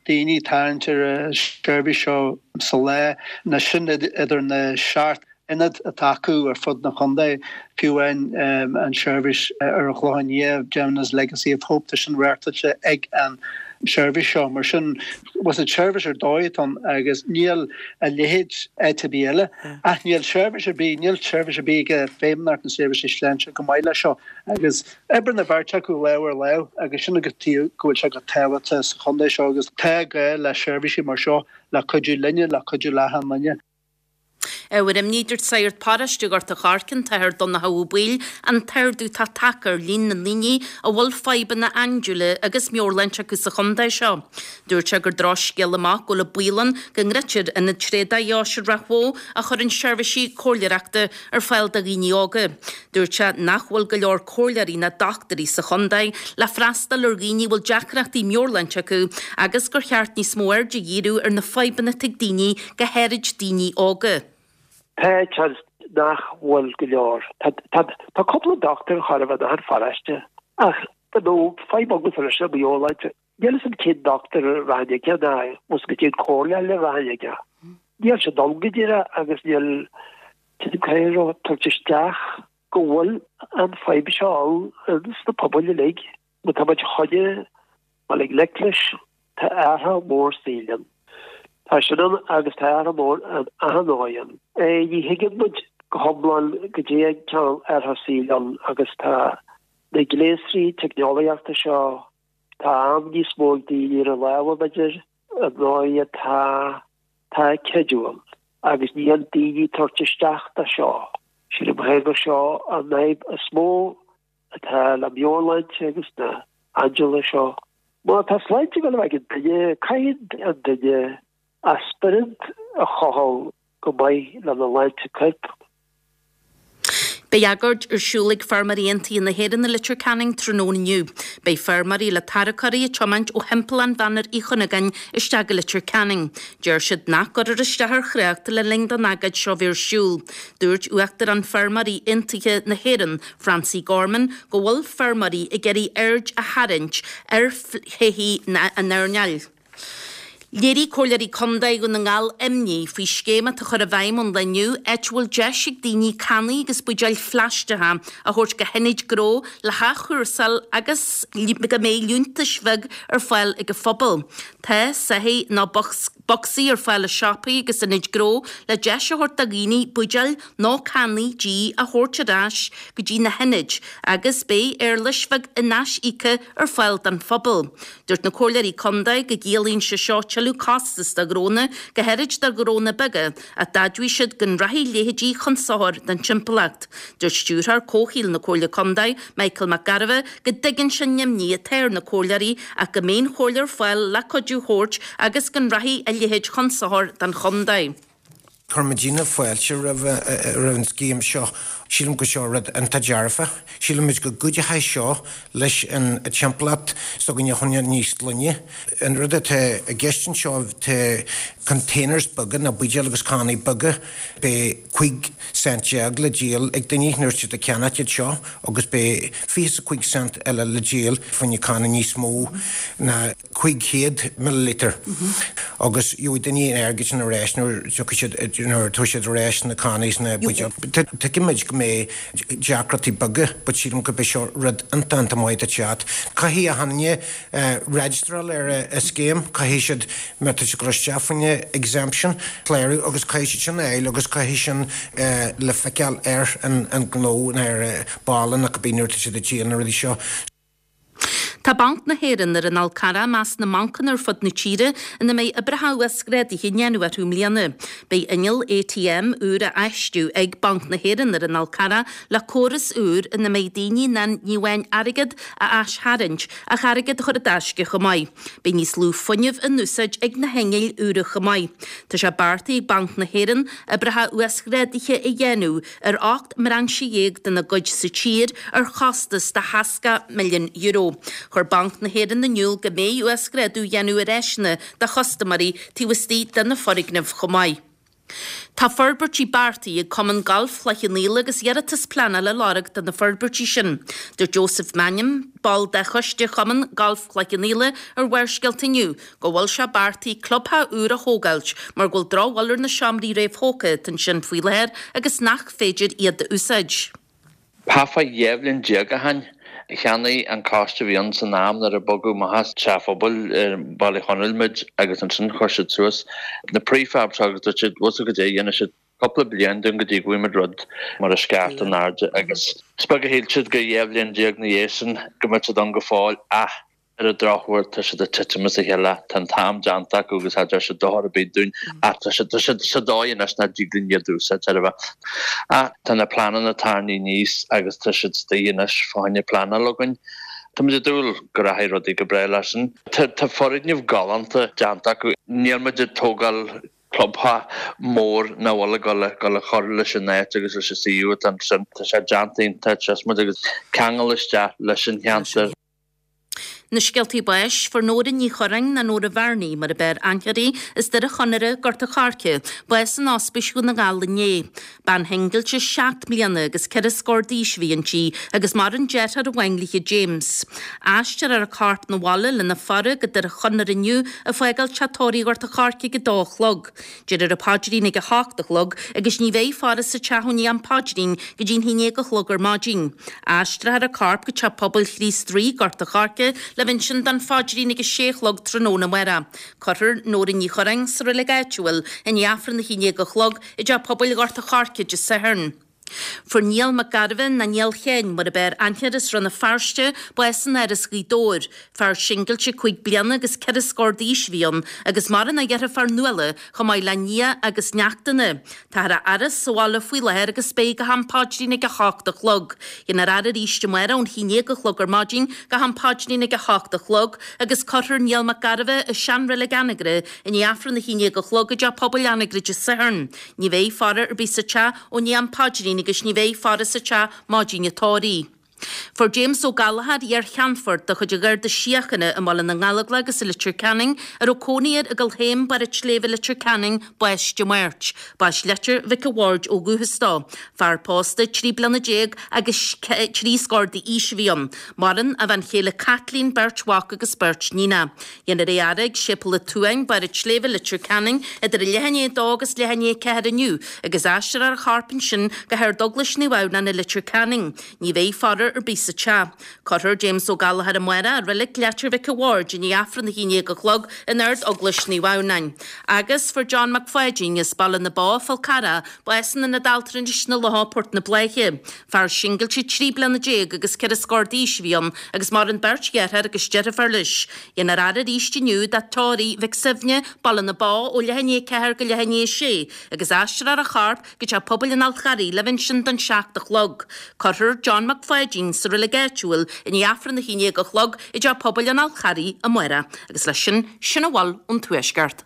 daoine ag tarraingt ar an seirbhís seo sa lá, nó sin idir na seacht ionad atá acu ar fud na chontae, fiú amháin an seirbhís ar an Chlochán Liath, Jemma's Legacy of Hope, tá sin reáchtáilte ag an seirbhís seo. Mar sin, was it seirbhís ar dóigh atá ann agus níl a leithéid áit ar bith eile. Ach níl seirbhís ar bith, níl seirbhís ar bith ag Feidhmeannacht na Seirbhíse Sláinte chomh maith leis seo agus oibríonn an bheirt acu lámh ar lámh agus sin an tuige go bhfuil sé chomh tábhachtach sa chontae seo agus tá gá le seirbhísí mar seo le cuidiú linne, le cuidiú le achan duine. Ábhar imní, dúirt sagart paróiste Ghort a' Choirce, an tAthair Donnchadh Ó Baoill, an t-ardú atá tagtha ar líon na ndaoine a bhfuil fadhbanna andúile agus meabhairshláinte acu sa chontae seo. Dúirt sé gur drochscéala amach go bhfuil an baol ann go ndruidfear Ionad Tréadach Dheoise Ráth Bhoth a chuireann seirbhísí comhairleoireachta ar fáil do dhaoine óga. Dúirt sé nach bhfuil go leor comhairleoirí ná dochtúirí sa chontae le freastal ar dhaoine a bhfuil deacrachtaí meabhairshláinte acu agus gur cheart níos mó aird a dhíriú ar na fadhbanna atá ag daoine, go háirid daoine óga. Tá seans nach bhfuil go leor. Tá cúpla dochtúir chóir a bheith in achan pharóiste ach you know fadhb agamsa leis an meabhairshláinte. Níl fhios a'm cén dochtúir a rachainn aige ná bhfuil go cén comhairle eile a rachainn aige. Níl sé dul go díreach agus níl cén caoi a tabhairt isteach go bhfuil an fadhb seo ann sna pobail uilig. Má tá muid chun dul i ngleic leis, tá athrú mór saoil ann. Tá sin ann agus tá athrú mór in achan dóigh ann. Ní thuigeann muid go hiomlán goidé an cineál athrú saoil ann agus tá na gléasraí teicneolaíochta seo, tá am níos mó ag daoine ar a lámha b'fhéidir, an dóigh atá tá creidiúil agus níl daoine ag tabhairt isteach do seo. Sílim féin gur seo an fhadhb is mó atá le meabhairshláinte agus na haindeola seo. Má tá sláinte ag dul a bheith ag an duine, caithfidh an duine a spiorad a chotháil go maith lena shláinte coirp. Beidh agóid ar siúl ag Feirmeoirí Aontaithe na hÉireann i Leitir Ceanainn tráthnóna inniu. Beidh feirmeoirí le tarracóirí ag tiomáint ó thimpeallán Mhanar Uí Chuinneagáin isteach go Leitir Ceanainn. Deir siad nach gcuirfear isteach ar thrácht le linn don agóid seo bheith ar siúl. Dúirt Uachtarán Feirmeoirí Aontaithe na hÉireann, Francie Gorman, go bhfuil feirmeoirí ag iarraidh aird a tharraingt ar thodhchaí an earnáil. Léirigh Comhairleoirí Contae Dhún na nGall imní faoi scéim atá á chur i bhfeidhm ón lá inniu, áit a bhfuil deis ag daoine cannaí agus buidéil phlaisteacha a thabhairt go hionaid gnó le hathchúrsáil agus go mbeidh liúntais bheag ar fáil ag an phobal. Tá soithí nó bocsaí ar fáil i siopaí agus ionaid gnó le deis a thabhairt do dhaoine buidéil nó cannaí dí a thabhairt ar ais go dtí na hionaid agus beidh éarlais bheag in-aisíoctha ar fáil don phobal. Dúirt na Comhairleoirí Contae go gciallaíonn sé seo tuilleadh costas do ghnónna, go háirid do ghnónna beaga, ach d'admhaigh siad go rachaidh a leithéidí chun sochair don timpeallacht. Dúirt Stiúrthóir Comhshaoil na Comhairle Contae, Michael Mac Gairbheith, go dtuigeann sé an imní atá ar na Comhairleoirí ach go mbeidh an Chomhairle ar fáil le cuidiú a thabhairt agus go rachaidh a leithéid chun sochair don chontae. Chuir muidinne fáilte roimh an scéim seo. Sílim go seo rud iontach dearfa. Sílimid go gcuideochaidh seo leis an timpeallacht s'againne a choinneáil níos glaine. An rud atá i gceist anseo tá containers beaga nó buidéil agus cannaí beaga. Beidh 15 cent le díol ag daoine nuair atá siad ag ceannacht iad seo agus beidh 25 cent eile le díol fá choinne canna níos mó ná 500 milliliter agus gheobhaidh daoine an airgead sin ar ais nuair a tiocfaidh siad, nuair a tabharfaidh siad ar ais na cannaí is na buidéil. Tuigimid go mbeidh deacrachtaí beaga but sílim gurb é seo rud iontach iontach maith do teacht. Caithfidh achan duine registráil ar an scéim, caithfidh siad, má tá siad ag dul isteach fá choinne exemption, clárú agus caithfidh siad sin a fháil agus caithfidh sin le feiceáil ar an ngnó nó ar an balla nó cibé nuair atá siad ag díol na rudaí seo. Tá Banc na hÉireann ar an Fhál Carrach i measc na mbancanna ar fud na tíre ina mbeidh oibreacha uasghrádaithe á ndéanamh orthu i mbliana. Beidh inneall ATM úr á fheistiú ag Banc na hÉireann ar an Fhál Carrach le córas úr ina mbeidh daoine in ann ní amháin airgead a aistharraingt ach airgead a chur i dtaisce chomh maith. Beidh níos lú fuinnimh in úsáid ag na hinnill úra chomh maith. Tá sé beartaithe ag Banc na hÉireann oibreacha uasghrádaithe a dhéanamh ar 18 mbrainse dena gcuid sa tír ar chostas de €60 milliún. Chuir Banc na hÉireann in iúl go mbeidh uasghrádú á dhéanamh ar áiseanna do chustaiméirí taobh istigh de na foirgnimh chomh maith. Tá forbairtí beartaithe ag Cumann Gailf Chloich Cheann Fhaola agus iarratas pleanála á lorg do na forbairtí sin. Dúirt Joseph Mannion, ball de choiste Chumann Gailf Chloich Cheann Fhaola ar Bharrscéalta inniu, go bhfuil sé beartaithe clubtheach úr a thógáilt mar go bhfuil drochbhail ar na seomraí réamhthógtha atá ansin faoi láthair agus nach féidir iad a úsáid. Thart fá 12 bhliain ó shin, cheannaigh an coiste a bhí ann san am nuair a bogadh amach as teach phobail ar Bhaile Chonaill muid agus ansin chuir siad suas na prefabs agus dúirt siad, bhfuil 's agat goidé, dhéanfaidh siad cúpla bliain dúinn go dtí go bhfaighimid rud mar a scairteadh in airde agus is beag a shíl siad go 12 bhliain ina dhiaidh sin go mbeadh siad ann go fóill ach Ar an drochuair, tá siad ag titim as a chéile, tá an t-am déanta acu agus cha deir siad dochar ar bith dúinn ach tá siad, tá siad sa dóigh anois nach dtig linn iad a úsáid ar bith. Ach tá na pleananna tarraingthe aníos agus tá siad istigh anois fá choinne pleanáil againn. Tá muid ag dúil go rachaidh rudaí go breá leis sin. Tá, tá foirgneamh galánta déanta acu. Níl muid ag tógáil clubtheach mór nach bhfuil ag dul a chur leis an áit agus leis an suíomh atá ansin. Tá sé déanta iontach, muid agus ceangal isteach leis an cheantar. Na scéaltaí báis, Fuair Nóra Ní Churráin, nó Nóra Bhearnaí mar a b'fhearr aithne uirthi, as Doire Chonaire, Gort a' Choirce, bás in Ospís Dhún na nGall inné. Bean shingilte seacht mbliana agus ceithre scór d'aois a bhí inti agus maireann deartháir amháin léithe James. Aistreofar a corp 'na bhaile lena faire go Doire Chonaire inniu ag fágáil Teach Tórraimh Ghort a' Choirce ag 2 a chlog. Déarfar an paidrín ag 8 a chlog agus ní bheidh faire sa teach ó ndiaidh an phaidrín go dtí'n 11 a chlog ar maidin. Aistreofar a corp go Teach Pobail Chríost Rí, Gort a' Choirce, le bheith ansin don phaidrín ag 6 a chlog tráthnóna amárach. Cuirfear Nóra Ní Churráin sa reilig áitiúil i ndiaidh Aifreann a 11 a chlog i dTeach Pobail Ghort a' Choirce Dé Sathairn. Fuair Niall Mac Gairbheith, nó Niall Sheáin mar a b'fhearr aithne air as Rann na Feirste, bás in Áras Ghaoth Dobhair. Fear singilte 5 bliana agus ceithre scór d'aois a bhí ann agus maireann a dheirfiúr Nuala chomh maith le nia agus neachtanna. Táthar á fhaire sa bhaile faoi láthair agus beidh go ham paidrín ag 8 a chlog. Déanfar faire arís amárach ón 11 a chlog ar maidin go ham paidrín ag 8 a chlog agus cuirfear Niall Mac Gairbheith i seanreilig Anagaire i ndiaidh Aifreann a 11 a chlog i dTeach Pobail Anagaire Dé Sathairn. Ní bheidh faire ar bith sa teach ó ndiaidh an phaidrín agus ní bheidh faire sa teach maidin an tórraimh. Fuair James Ó Gallchóir, iar-cheannfort de chuid an Gharda Síochána i mBaile na nGallóglach agus i Leitir Ceanainn, a raibh cónaí air i gCill Théim, Barr an tSléibhe, Leitir Ceanainn, bás Dé Máirt. B'as Leitir Mhic a' Bhaird ó dhúchas dó. Fear pósta 13 bliana agus trí scór d'aois a bhí ann. Maireann a bhean chéile Caitlín, beirt mhac agus beirt níonach. Dhéanfar é a fhaire ag Séipéal an tSuain, Barr an tSléibhe, Leitir Ceanainn, idir a leath i ndiaidh a dó agus leath i ndiaidh a ceathair inniu, agus aistreofar a chorp ansin go hArd-Eaglais Naomh Adhamhnáin i Leitir Ceanainn. Ní bheidh faire ar bith sa teach. Cuirfear James Ó Gallchóir amárach i Reilig Leitir Mhic a' Bhaird i ndiaidh Aifreann 11 a chlog in Ard-Eaglais Naomh Adhamhnáin. Agus fuair John Mac Pháidín, as Baile na Bó, Fál Carrach, bás in Ionad Altranais na Locha, Port na Bláiche. Fear singilte 13 bliana agus ceithre scór d'aois a bhí ann agus maireann beirt dheartháir agus deirfiúr leis. Dhéanfar faire arís inniu do Tóraí Mhic Suibhne, Baile na Bó, ó leath i ndiaidh a ceathair go leath i ndiaidh a sé agus aistreofar a chorp go Teach Pobail an Fháil Charraigh le bheith ansin don seacht a chlog. Cuirfear John Mac Pháidín sa reilig áitiúil i ndiaidh Aifreann 11 a chlog i dTeach Pobail an Fháil Charraigh amárach. Agus leis sin, sin a bhfuil ón Tuaisceart.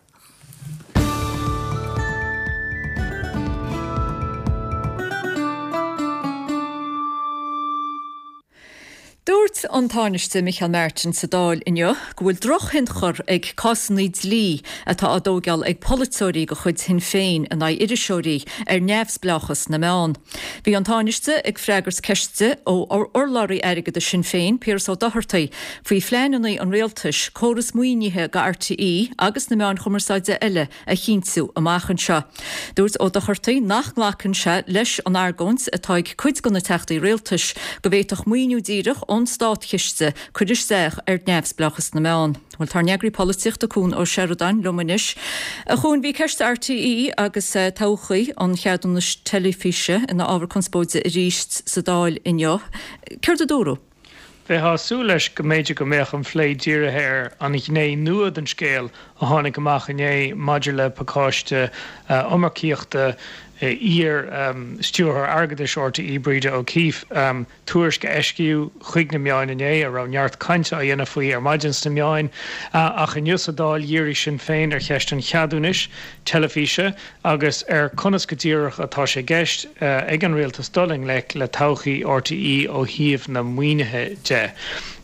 Dúirt an Tánaiste Micheál Martin sa Dáil inniu go bhfuil drochthionchar ag cásanna dlí atá á dtóigeáil ag polaiteoirí de chuid Shinn Féin in aghaidh iriseoirí ar neamhspleáchas na meán. Bhí an Tánaiste ag freagairt ceiste ó urlabhraí airgeadais Shinn Féin, Piaras Ó Dochartaigh, faoi phleananna an rialtais córas maoinithe do RTÉ agus na meáin chumarsáide eile a chinntiú amach anseo. Dúirt Ó Dochartaigh nach nglacann sé leis an argóint atá ag cuid de na teachtaí rialtais go bhféadfadh maoiniú díreach ón státchiste cur isteach ar neamhspleáchas na meán. Bhuel, tá ár n-eagraí polaitíochta Cuan Ó Seireadáin liom anois. A Chuain, bhí ceist RTÉ agus todhchaí an cheadúnais teilifíse ina ábhar conspóide arís sa Dáil inniu. Céard a dúradh? Bheifeá ag súil leis go mb'fhéidir go mbeadh an phlé dírithe ar an ghné nua den scéal a tháinig amach inné maidir le pacáiste iomarcaíochta iar-Stiúrthóir Airgeadais RTÉ, Breda O'Keeffe, tuairisc a eisíodh chuig na meáin inné, a raibh neart cainte á dhéanamh faoi ar maidin sna meáin. Ach inniu sa Dáil dhírigh Sinn Féin ar cheist an cheadúnais teilifíse. agus ar conas go díreach atá sé i gceist ag an Rialtas dul i ngleic le todhchaí RTÉ ó thaobh na maoinithe de.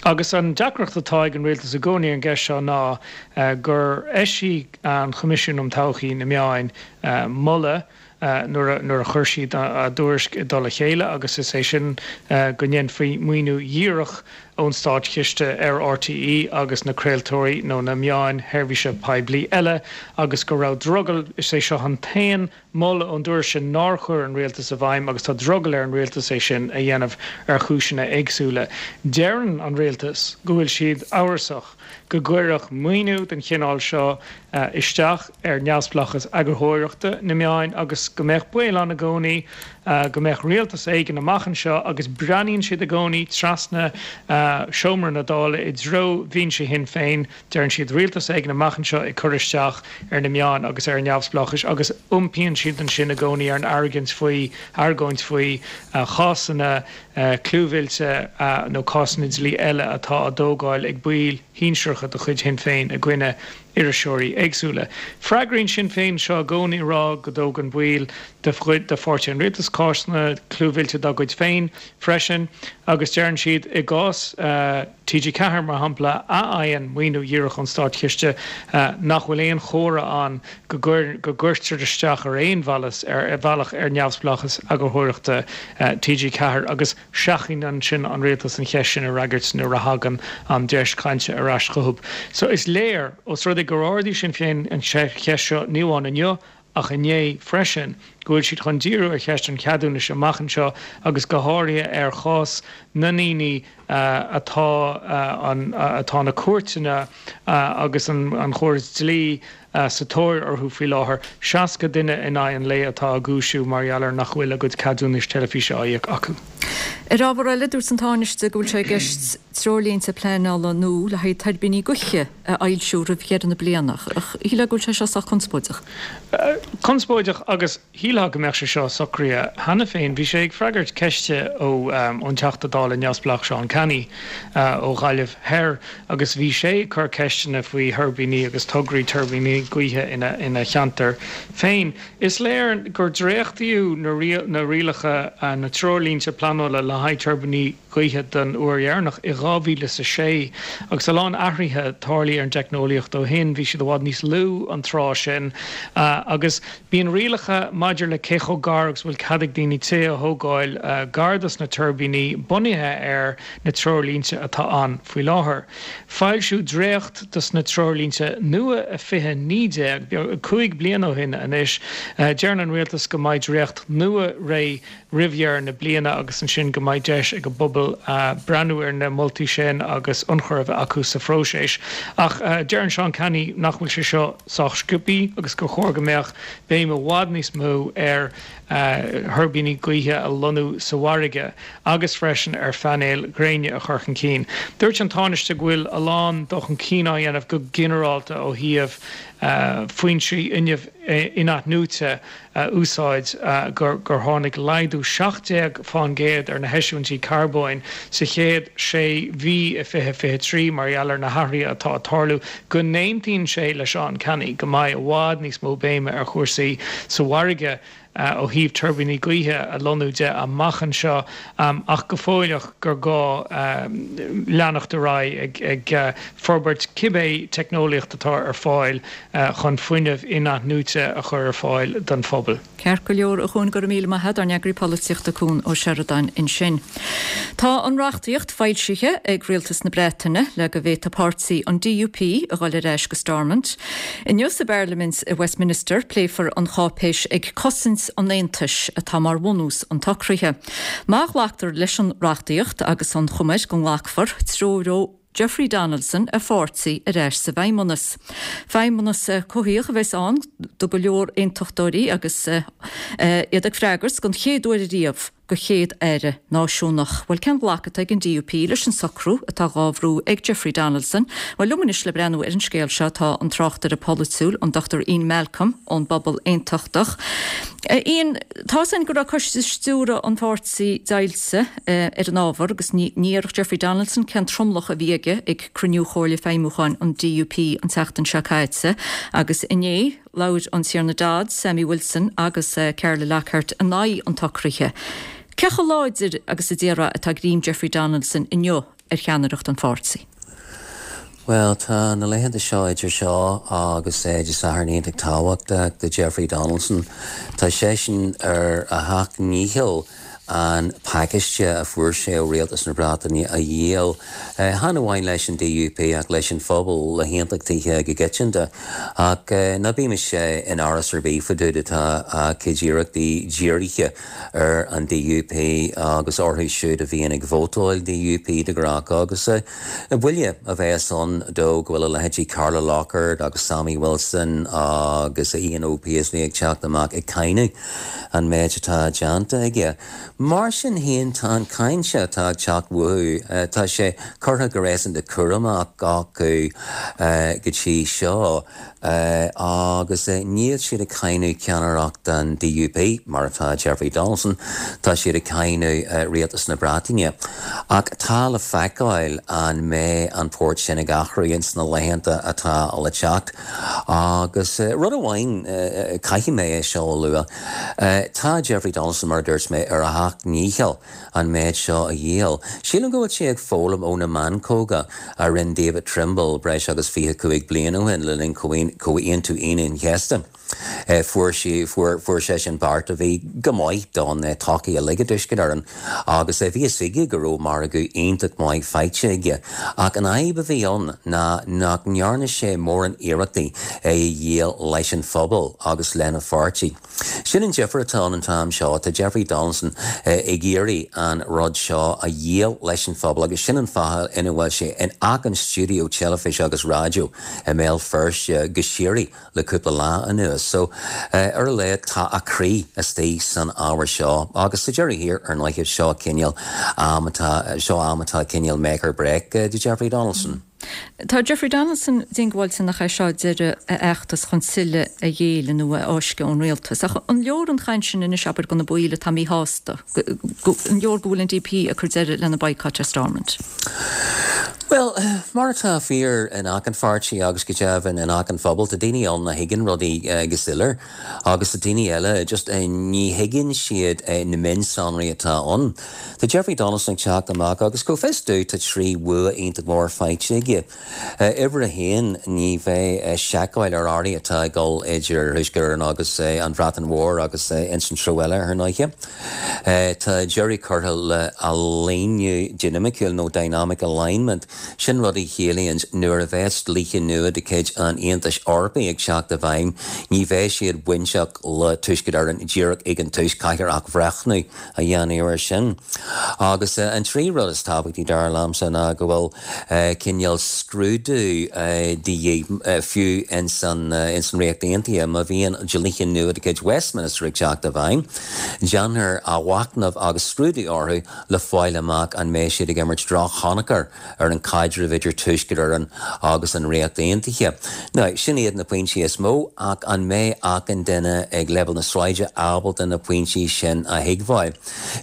Agus an deacracht atá ag an Rialtas i gcónaí ar an gceist seo ná gur eisigh an Choimisiún um Thodhchaí na Meáin moladh nuair a chuir siad a dtuairisc i dtoll a chéile agus is é sin go ndéanfaí maoiniú dhíreach ón státchiste ar RTÉ agus na craoltóirí nó na meáin sheirbhíse poiblí eile agus go raibh drogall, is é seo an t-aon mholadh ón dtuairisc sin nár chuir an rialtas i bhfeidhm agus tá drogall ar an rialtas é sin a dhéanamh ar chúiseanna éagsúla. Deireann an rialtas go bhfuil siad amhrasach go gcuirfeadh maoiniú den chineál seo isteach ar neamhspleáchas eagarthóireachta na meáin agus go mbeadh baol ann i gcónaí go mbeadh rialtas éigin amach anseo agus breathnaíonn siad i gcónaí trasna seomra na Dála i dtreo bhinse Shinn Féin, deireann siad rialtas éigin amach anseo ag cur isteach ar na meáin agus ar a neamhspleáchas agus iompaíonn siad ansin i gcónaí ar an argóint faoi argóint faoi chásanna clúmhillte nó cásanna dlí eile atá á dtógáil ag baill shinsearacha de chuid Shinn Féin i gcoinne iriseoirí éagsúla. Freagraíonn Sinn Féin seo i gcónaí ag rá go dtógann baill de pháirtí an rialtais cásanna clúmhillte dá gcuid féin freisin. Agus deireann siad, i gcás TG4, mar shampla, a fhaigheann maoiniú dhíreach ón státchiste, nach bhfuil aon chomhartha ann go gcuirtear isteach ar aon bhealach ar neamhspleáchas eagarthóireachta TG4 agus seachnaíonn ansin an rialtas an cheist sin a fhreagairt nuair a thagann an deis cainte ar ais chucu. So is léir, os rud é gur ardaigh Sinn Féin an cheist seo ní amháin inniu ach inné freisin, go bhfuil siad chun díriú ar cheist an cheadúnais amach anseo agus go háirithe ar chás na ndaoine atá atá na cúirteanna agus an chóras dlí sa tóir orthu faoi láthair, 60 duine in aghaidh an lae atá á gcúisiú mar gheall ar nach bhfuil a gcuid ceadúnais teilifíse á íoc acu. Ar ábhar eile, dúirt an Tánaiste go bhfuil sé i gceist treoirlínte pleanála nua le haghaidh tuirbíní gaoithe a fhoilsiú roimh dheireadh na bliana. Ach shílfeá go bhfuil sé seo sách conspóideach. Conspóideach agus shílfeá go mbeadh sé seo socraithe cheana féin. Bhí sé ag freagairt ceiste ón Teachta Dála neamhspleách Seán Canney ó Ghaillimh Thoir agus bhí sé ag cur ceisteanna faoi thuirbíní agus tograí tuirbíní gaoithe ina cheantar féin. Is léir gur dréachtaíodh na rialacha, na treoirlínte pleanála le haghaidh tuirbíní gaoithe den uair dheireanach i 2006 agus a lán athruithe tarlaithe ar an dteicneolaíocht ó shin. Bhí siad i bhfad níos lú an tráth sin agus bíonn rialacha maidir le cé chomh gar agus a bhfuil cead ag daoine tithe a thógáil gar dos na tuirbíní bunaithe ar na treoirlínte atá ann faoi láthair. Foilsíodh dréacht dos na treoirlínte nua i 2019, 5 bliana ó shin anois. Deireann an rialtas go mbeidh dréacht nua réidh roimh dheireadh na bliana agus ansin go mbeidh deis ag an bpobal breathnú ar na moltaí sin agus ionchur a bheith acu sa phróiseas. Ach deireann Seán Canney nach bhfuil sé seo sách sciobtha agus gur chóir go mbeadh béim i bhfad níos mó ar thuirbíní gaoithe a lonnú sa bhfarraige agus freisin ar phainéil ghréine a chur chun cinn. Dúirt an Tánaiste go bhfuil a lán dul chun cinn á dhéanamh go ginearálta ó thaobh foinsí fuinnimh in-athnuaite a úsáid, gur tháinig laghdú 17% ar na heisiúintí carbóin sa chéad sé mhí i 2023 mar gheall ar na hathruithe atá ag tarlú, go n-aontaíonn sé le Seán Canney go mbeidh i bhfad níos mó béime ar chúrsaí sa bhfarraige ó thaobh tuirbíní gaoithe a lonnú de amach anseo ach go fóilleach gur gá leanacht ar aghaidh ag forbairt cibé teicneolaíocht atá ar fáil chun fuinneamh in-athnuaite a chur ar fáil don phobal. Ceart go leor, a Chuain, go raibh míle maith a't, ár n-eagraí polaitíochta Cuan Ó Seireadáin ansin. Tá an reachtaíocht foilsithe ag Rialtas na Breataine le go bhféadfaidh páirtí an DUP a dhul ar ais go Stormont. Inniu sa bParlaimint i Westminster pléifear an cháipéis Ag Cosaint an Aontais atá mar bhunús an tsocraithe. Má ghlactar leis an reachtaíocht, agus an chuma air go nglacfar, treoróidh Jeffrey Donaldson a pháirtí ar ais sa bhFeidhmeannas. Feidhmeannas coimhthíoch a bheas ann do go leor aontachtóirí agus iad ag freagairt don chéad uair ariamh do Chéad-Aire náisiúnach. Bhuel, cén ghlacadh atá ag an DUP leis an socrú atá dhá bhrú ag Jeffrey Donaldson? Bhuel, liom anois le breathnú ar an scéal seo tá an tráchtaire polaitiúil, an Dr Ian Malcolm ón bPobal Aontachtach. Ian, tá's againn go raibh coiste stiúrtha an pháirtí deighilte ar an ábhar agus ní dhéarfadh Jeffrey Donaldson cén tromlach a bhí aige ag cruinniú Chomhairle Feidhmiúcháin an DUP an tseachtain seo caite agus inné labhair an Tiarna Dodds, Sammy Wilson agus Carla Lockhart in aghaidh an tsocraithe. Cé chomh láidir agus a déarfá atá greim Jeffrey Donaldson inniu ar cheannaireacht an pháirtí? Bhuel, tá na laethanta seo idir seo agus Dé Sathairn iontach tábhachtach do Jeffrey Donaldson. Tá seisean ar a sheacht ndícheall an pacáiste a fuair sé ó Rialtas na Breataine a dhíol, chan amháin leis an DUP ach leis an phobal, le haontachtaithe go coitianta. Ach ná bímis in amhras ar bith fá dtaobh de tá a chuid iarrachtaí dírithe ar an DUP agus orthu siúd a bhíonn ag vótáil DUP de ghnáth agus buille a bheas ann dó go bhfuil a leithéidí Carla Lockhart agus Sammy Wilson agus Ian Paisley ag teacht amach ag cáineadh an méid atá déanta aige. Mar sin féin, tá an cháinte atá ag teacht uathu, tá sé curtha go réasúnta cúramach acu go dtí seo agus níl siad ag cáineadh ceannaireacht an DUP, mar atá Jeffrey Donaldson, tá siad ag cáineadh rialtas na Breataine. Ach tá le feiceáil an mbeidh an port sin ag athrú ins na laethanta atá le teacht. Agus rud amháin, caithfidh mé é seo a lua, tá Jeffrey Donaldson, mar a dúirt mé, ar a. sheacht ndícheall an méid seo a dhíol. Sílim go bhfuil sé ag foghlaim ó na meancóga a rinne David Trimble breis agus 25 bliain ó shin le linn Chomhaontú Aoine an Chéasta. Fuair sí, fuair, fuair seisean beart a bhí go maith don tsochaí uilig i dTuaisceart Éireann agus bhí fhios aige go raibh margadh iontach maith faighte aige. Ach an fhadhb a bhí ann ná nach ndearna sé mórán iarrachtaí é a dhíol leis an phobal agus lena pháirtí. Sin an difear atá ann an t-am seo, tá Jeffrey Donaldson ag iarraidh an rud seo a dhíol leis an phobal agus sin an fáth ina bhfuil sé in achan stiúideo teilifíse agus raidió i mBéal Feirste go síoraí le cúpla lá anuas. So, ar a laghad tá a chroí istigh san ábhar seo agus sa deireadh thiar, ar ndóighe, seo cineál am atá, seo am atá cineál make or break do Jeffrey Donaldson. Tá Jeffrey Donaldson diongbháilte nach é seo deireadh a fheachtas chun tuilleadh a ghéilleadh nó a fháisceadh ón rialtas. Ach an leor an chaint sin anois, abair, do na baill atá míshásta? An leor go bhfuil an DUP ag cur deireadh lena boycott ar Stormont? Bhuel, mar atá fíor in achan pháirtí agus go deimhin in achan phobal, tá daoine ann a thuigeann rudaí go soiléir agus tá daoine eile just ní thuigeann siad na mionsonraí atá ann. Tá Jeffrey Donaldson ag teacht amach agus go bhfios domh tá 3 bhua iontach mór faighte aige. Uimhir a haon, ní bheidh seiceáil ar earraí atá ag dul idir Thuaisceart Éireann agus an Bhreatain Mhór agus ins an treo eile, ar ndóighe. Tá deireadh curtha le hailíniú dinimiciúil nó dynamic alignment, sin rud a chiallaíonn nuair a bheas dlíthe nua de chuid an Aontais Eorpaigh ag teacht i bhfeidhm, ní bheidh siad bainteach le Tuaisceart Éireann díreach ag an tús, caithfear athbhreithniú a dhéanamh air sin. Agus an tríú rud is tábhachtaí, dar liomsa, ná go bhfuil cineál scrúdú de dhíth, fiú ins an Ríocht Aontaithe, má bhíonn dlíthe nua de chuid Westminster ag teacht i bhfeidhm, déanfar athmhachnamh agus scrúdú orthu le fáil amach an mbeidh siad ag imirt drochthionchar ar an chaidreamh idir Tuaisceart Éireann agus an Ríocht Aontaithe. Now, sin iad na pointí is mó, ach an mbeidh achan duine ag leibhéal na sráide ábalta na pointí sin a thuigbheáil?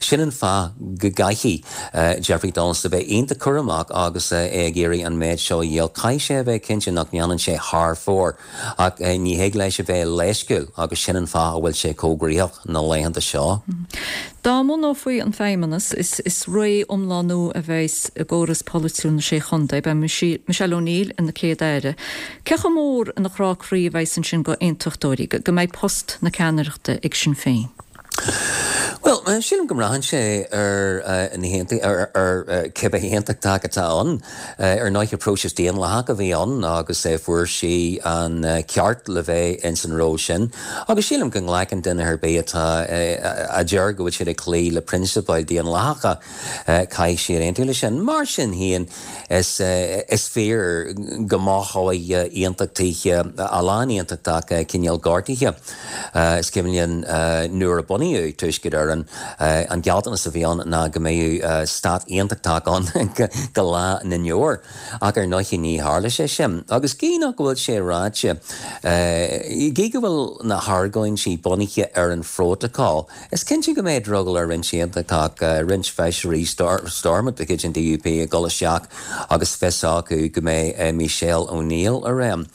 Sin an fáth go gcaithfidh Jeffrey Donaldson a bheith iontach cúramach agus é ag iarraidh an méid seo a dhíol. Caithfidh sé a bheith cinnte nach ndéanann sé thar fóir. Ach ní thig leis a bheith leisciúil agus sin an fáth a bhfuil sé chomh gnoitheach na laethanta seo. Dá mbunófaí an Feidhmeannas, is ré iomlán nua a bheas i gcóras polaitiúil na Sé Chontae. Beidh Michelle O'Neill ina Céad-Aire. Cé chomh mór ina chrá croí a bheas ansin do aontachtóirí go mbeidh post na ceannaireachta ag Sinn Féin? Bhuel, sílim go mbraitheann sé ar na haontaigh, ar cibé aontachtach atá ann. Ar ndóighe, próiseas daonlathach a bhí ann agus fuair sí an ceart le bheith ins an ról sin. Agus sílim go nglacann duine ar bith atá, a deir go bhfuil siad ag cloí le prionsabail daonlathacha, Caithfidh siad aontú leis sin. Mar sin féin, is fíor go mothóidh aontachtaithe, a lán aontachtach, cineál gortaithe. Is cuimhin linn nuair a bunaíodh Tuaisceart Éireann, an gealltanas a bhí ann ná go mbeadh stát aontachtach ann go lá na ndeor. Ach ar ndóighe ní tharla sé sin. Agus gidh nach bhfuil sé ráite, gidh go bhfuil na hargóintí bunaithe ar an phrótacal, Is cinnte go mbeidh drogall ar roinnt aontachtach, roinnt feisirí Stormont de chuid an DUP ag dul isteach agus fios acu go mbeidh Michelle O'Neill i réim.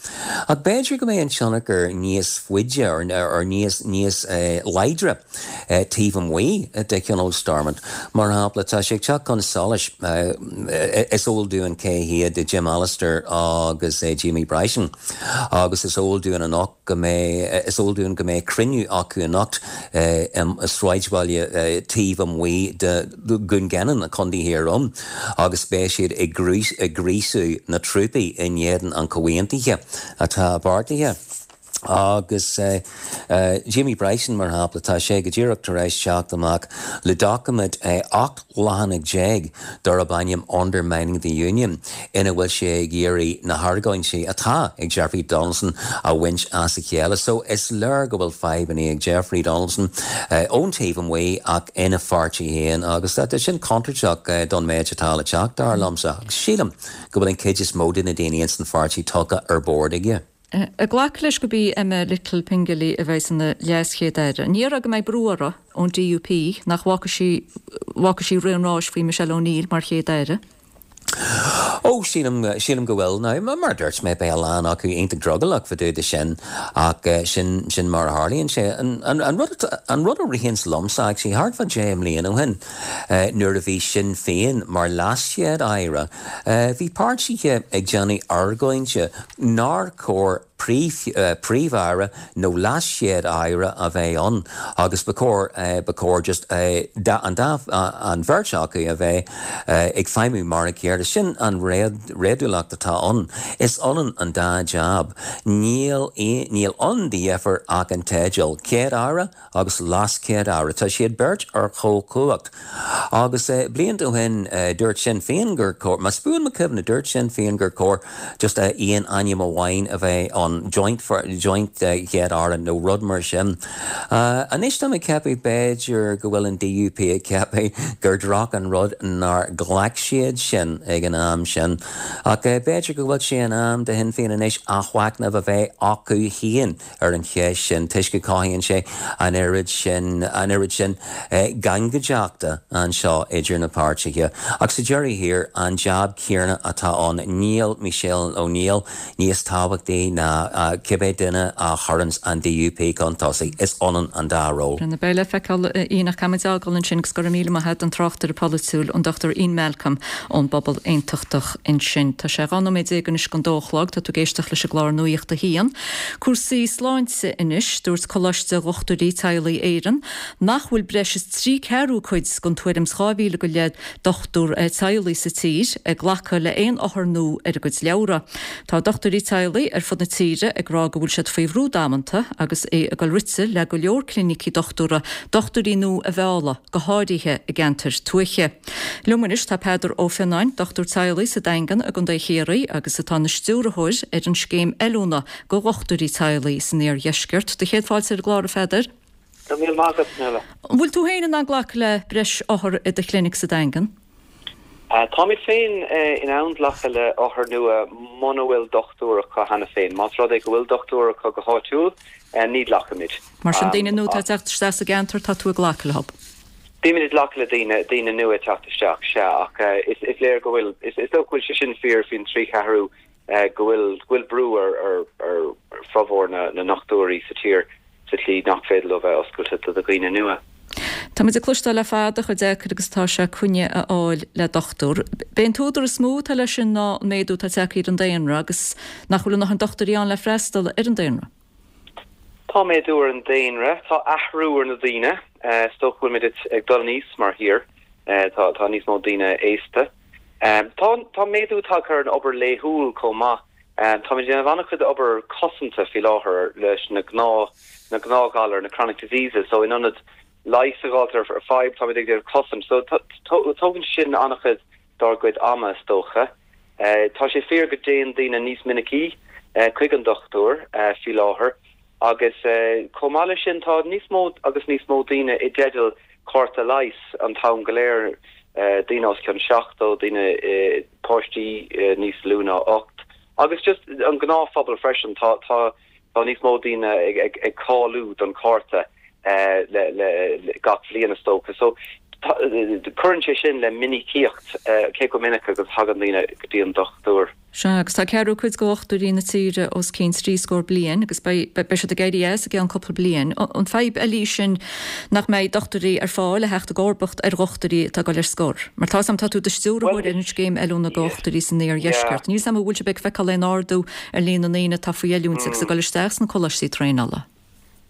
Ach b'fhéidir go mbeidh an tionchar níos faide or níos níos láidre taobh amuigh de Thionól Stormont. Mar shampla, tá sé ag teacht chun solais, is eol dúinn cé hiad Jim Allister agus Jamie Bryson agus is eol dúinn anocht, go mbeidh, is eol dúinn go mbeidh cruinniú acu anocht i sráidbhaile taobh amuigh de Dhún Geanainn, Contae Thír Eoghain, agus beidh siad ag gríosú na trúpaí in éadan an chomhaontaithe atá beartaithe. Agus Jamie Bryson, mar shampla, tá sé go díreach tar éis teacht amach le doiciméad 18 leathanach darb ainm Undermining the Union ina bhfuil sé ag iarraidh na hargóintí atá ag Jeffrey Donaldson a bhaint as a chéile. So is léir go bhfuil fadhbanna ag Jeffrey Donaldson ón taobh amuigh ach ina pháirtí féin agus tá sin contúirteach don méid atá le teacht, dar liomsa. Agus sílim go bhfuil an chuid is mó de na daoine ins an pháirtí tugtha ar bord aige. Ag glacadh leis gurb í Emma Little-Pengelly a bheas ina LeasChéad-Aire, ní déarfá go mbeidh brú uirthi ón DUP nach bhfágfaidh sí bhfágfaidh sí rith an ráis faoi Michelle O'Neill mar Chéad-Aire? Ó, sílim, sílim go bhfuil. Now, mar a dúirt mé, beidh a lán acu iontach drogallach fá dtaobh de sin ach sin, sin mar a tharlaíonn sé. An, an, an rud, an rud a ritheanns liomsa actually, thart fá 10 mbliana ó shin, nuair a bhí Sinn Féin mar leaschéad-aire, bhí páirtithe ag déanamh argóinte nár chóir Príomh-Aire nó LeasChéad-Aire a bheith ann agus ba chóir, ba chóir just an dá, an bheirt acu a bheith ag feidhmiú mar a chéile. Sin an réadúlacht atá ann. Is ionann an dá jab. Níl, níl ann de dheifir ach an teideal, Céad-Aire agus LeasChéad-Aire. Tá siad beirt ar chomhchumhacht. Agus blianta ó shin dúirt Sinn Féin gur chóir, más buan mo chuimhne, dúirt Sinn Féin gur chóir just aon ainm amháin a bheith ann, joint, joint Chéad-Aire nó rud mar sin. Anois tá mé ag ceapadh b'fhéidir go bhfuil an DUP ag ceapadh gur droch an rud nár ghlac siad sin ag an am sin. Ach b'fhéidir go bhfuil sé in am do Shinn Féin anois athmhachnamh a bheith acu féin. ar an cheist sin toisc go cothaíonn sé an oiread sin, an oiread sin gangaideachta anseo idir na páirtithe. Ach sa deireadh thiar, an jab céanna atá ann. Níl Michelle O'Neill níos tábhachtaí ná cibé duine a chuireanns an DUP chun tosaigh. Is ionann an dá ról. Beidh le feiceáil Ian ach caithfimid é a fhágáil ansin agus go raibh míle maith agat an tráchtaire polaitiúil an Dr Ian Malcolm ón bPobal Aontachtach ansin. Tá sé 12 nóiméad anois don dó a chlog. Tá tú ag éisteacht leis an gclár Nuacht a hAon. Cúrsaí sláinte anois. Dúirt Coláiste Dhochtúirí Teaghlaigh Éireann nach bhfuil breis is trí ceathrú cuid den tuairim is 2,000 go leith dochtúir teaghlaigh sa tír ag glacadh le haon othar nua ar a gcuid leabhra. Tá dochtúirí teaghlaigh ar fud na tíre ag rá go bhfuil siad faoi bhrú damanta agus é ag dul rite le go leor clinicí dochtúra dochtúirí nua a mhealladh, go háirithe i gceantair tuaithe. Liom anois tá Peadar Ó Fionnáin, dochtúir teaghlaigh sa Daingean i gContae Chiarraí agus atá ina stiúrthóir ar an scéim oiliúna do dhochtúirí teaghlaigh san iardheisceart. Do chéad fáilte ar an gclár, a Pheadair. Go raibh míle maith agat, Nuala. An bhfuil tú féin in ann glacadh le breis othar i do chlinic sa Daingean? Táimid féin in ann glacadh le othair nua muna bhfuil dochtúir acu cheana féin. Más rud é go bhfuil dochtúir acu go háitiúil, ní ghlacfaimid. Mar sin, daoine nua atá ag teacht isteach sa gceantar, tá tú ag glacadh leo? Bímid ag glacadh le daoine, daoine nua ag teacht isteach, sea, ach is léir go bhfuil, is dócha go bhfuil sé sin fíor faoin trí cheathrú, go bhfuil, go bhfuil brú ar, ar, ar formhór na ndochtúirí sa tír sa tslí nach féidir leo bheith oscailte do dhaoine nua. Táimid ag cloisteáil le fada chomh deacair agus atá sé coinne a fháil le dochtúir. B'é an t-údar is mó atá leis sin ná an méadú atá tagtha ar an daonra agus nach bhfuil a ndóthain dochtúirí ann le freastal ar an daonra. Tá méadú ar an daonra, tá athrú ar na daoine. Is dócha go bhfuilimid ag dul in aois mar thír, tá níos mó daoine aosta. Tá tá méadú tagtha ar an obair laethúil chomh maith. Táimid ag déanamh an-chuid obair cosanta faoi láthair leis na gnáth na gnáthghalair, na chronic diseases, so in ionad leigheas a fháilt ar fadhb, táimid ag déanamh cosaint. So tógann sin an-chuid dár gcuid ama, is dócha. Tá sé fíor go dtéann daoine níos minicí chuig an dochtúir faoi láthair agus chomh maith leis sin tá níos mó agus níos mó daoine i dteideal cárta leighis an t-am go léir, daoine os cionn 70, daoine, páistí níos lú ná 8 agus just an gnáthphobal freisin. Tá, tá. Tá níos mó daoine ag cáiliú don chárta le gach bhliain is dócha. So cuireann sé sin le minicíocht, cé chomh minic agus a thagann daoine go dtí an dochtúir. Sea, agus tá ceathrú cuid de dhochtúirí na tíre os cionn trí scór bliain agus beidh siad ag éirí as i gceann cúpla bliain. An fadhb eile í sin nach mbeidh dochtúirí ar fáil a theacht i gcomharbacht ar dhochtúirí atá ag dul ar scor? Mar tá 'fhios a'm, tá tú i do stiúrthóir ar an scéim oiliúna do dhochtúirí san iardheisceart. Níl 'fhios a'm an bhfuil sibh ag feiceáil aon ardú ar líon na ndaoine atá faoi oiliúint agus ag dul isteach sna coláistí traenála.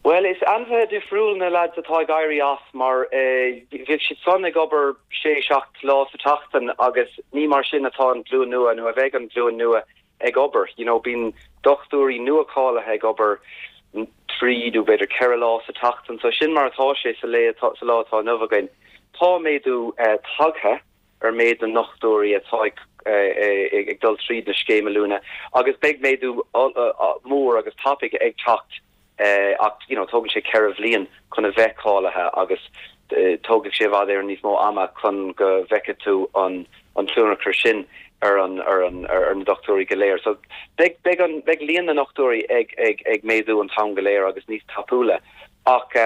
Bhuel, is ainmhithe difriúil na leaids atá ag éirí as mar bhíodh siad san ag obair sé, seacht lá sa tseachtain agus ní mar sin atá an ghlúin nua nó a bheidh an ghlúin nua ag obair. You know, bíonn dochtúirí nua-cháilithe ag obair trí nó b'fhéidir ceithre lá sa tseachtain. So sin mar atá sé sa lá atá inniu againn. Tá méadú tagtha ar méid na ndochtúirí atá ag dul tríd na scéim oiliúna agus beidh méadú mór agus tapaidh ag teacht ach you know tógann sé 4 bhliain chun a bheith cáilithe agus tógfaidh sé i bhfad Éireann níos mó ama chun go bhfeicfidh tú an an tionchar sin ar an ar an ar na dochtúirí go léir. So beidh beidh an beidh líon na ndochtúirí ag ag ag méadú an t-am go léir agus níos tapúla Ach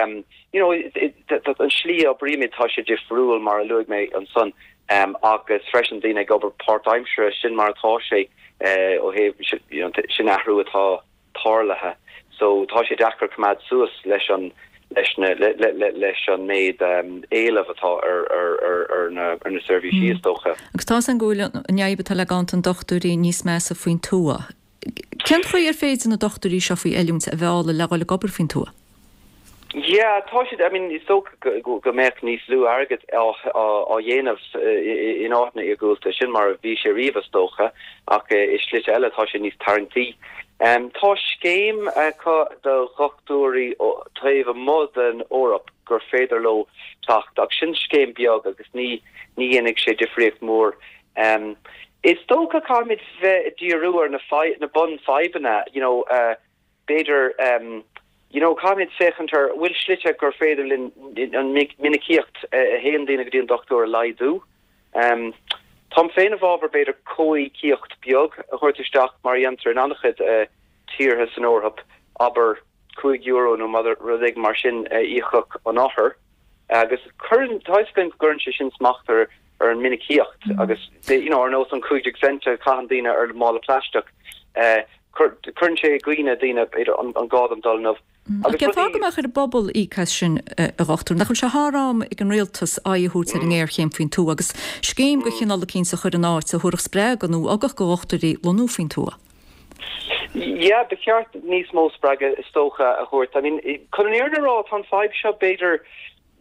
you know an slí a oibrímid tá sé difriúil mar a luaigh mé ansan. Agus freisin daoine ag obair páirtaimseartha, sin mar atá sé ó thaobh, you know, sin athrú atá tarlaithe. So tá sé deacair coimeád suas leis an leis na leis an méid éileamh atá ar ar ar ar na ar na seirbhísí is dócha. Agus tá a fhios againn go bhfuil an fhadhb atá le ganntan dochtúirí níos measa faoin tuath. Cén chaoi ar féidir na dochtúirí seo faoi oiliúint a mhealladh le dhul ag obair faoin tuath? Yeah, tá siad, I mean, is dócha go mbeadh níos lú airgid á dhéanamh in áiteanna iargúlta, sin mar a bhí sé riamh is dócha, ach i slite eile tá sé níos tarraingtí. Tá scéim acu do dhochtúirí taobh amuigh den Eoraip gur féidir leo teacht, ach sin scéim beag agus ní dhéanfaidh sé difríocht mhór. Is dócha caithfimid bheith ag díriú ar na bunfhadhbanna, you know, B'fhéidir, you know, caithfimid féachaint ar bhfuil slite gur féidir linn an minicíocht a théann daoine go dtí an dochtúir a laghdú. Táim féin i bhfabhar b'fhéidir comhíocaíocht beag a thabhairt isteach mar a dhéantar in an-chuid tíortha san Eoraip, abair €5 nó rud éigin mar sin a íocfadh an othar. Agus cuireann, tá a fhios againn go gcuireann sé sin smacht ar ar an minicíocht agus, you know, ar nós an 15 cent a chaitheann daoine ar mála plaisteach, cuireann sé i gcuimhne daoine, b'fhéidir, an gá dom dul inniu. Ach cén fáth go mbeadh ar an bpobal íoc as sin, a dhochtúir? Nach bhfuil sé thar am ag an rialtas aghaidh a thabhairt ar an ngéarchéim faoin tuath agus scéim de chineál eicínt a chur in áit a thabharfadh spreagadh nó ugach do dhochtúirí lonnú faoin tuath? Yeah, ba cheart níos mó spreagadh is dócha a thabhairt. I mean, chun an fhírinne a rá, tá an fadhb seo b'fhéidir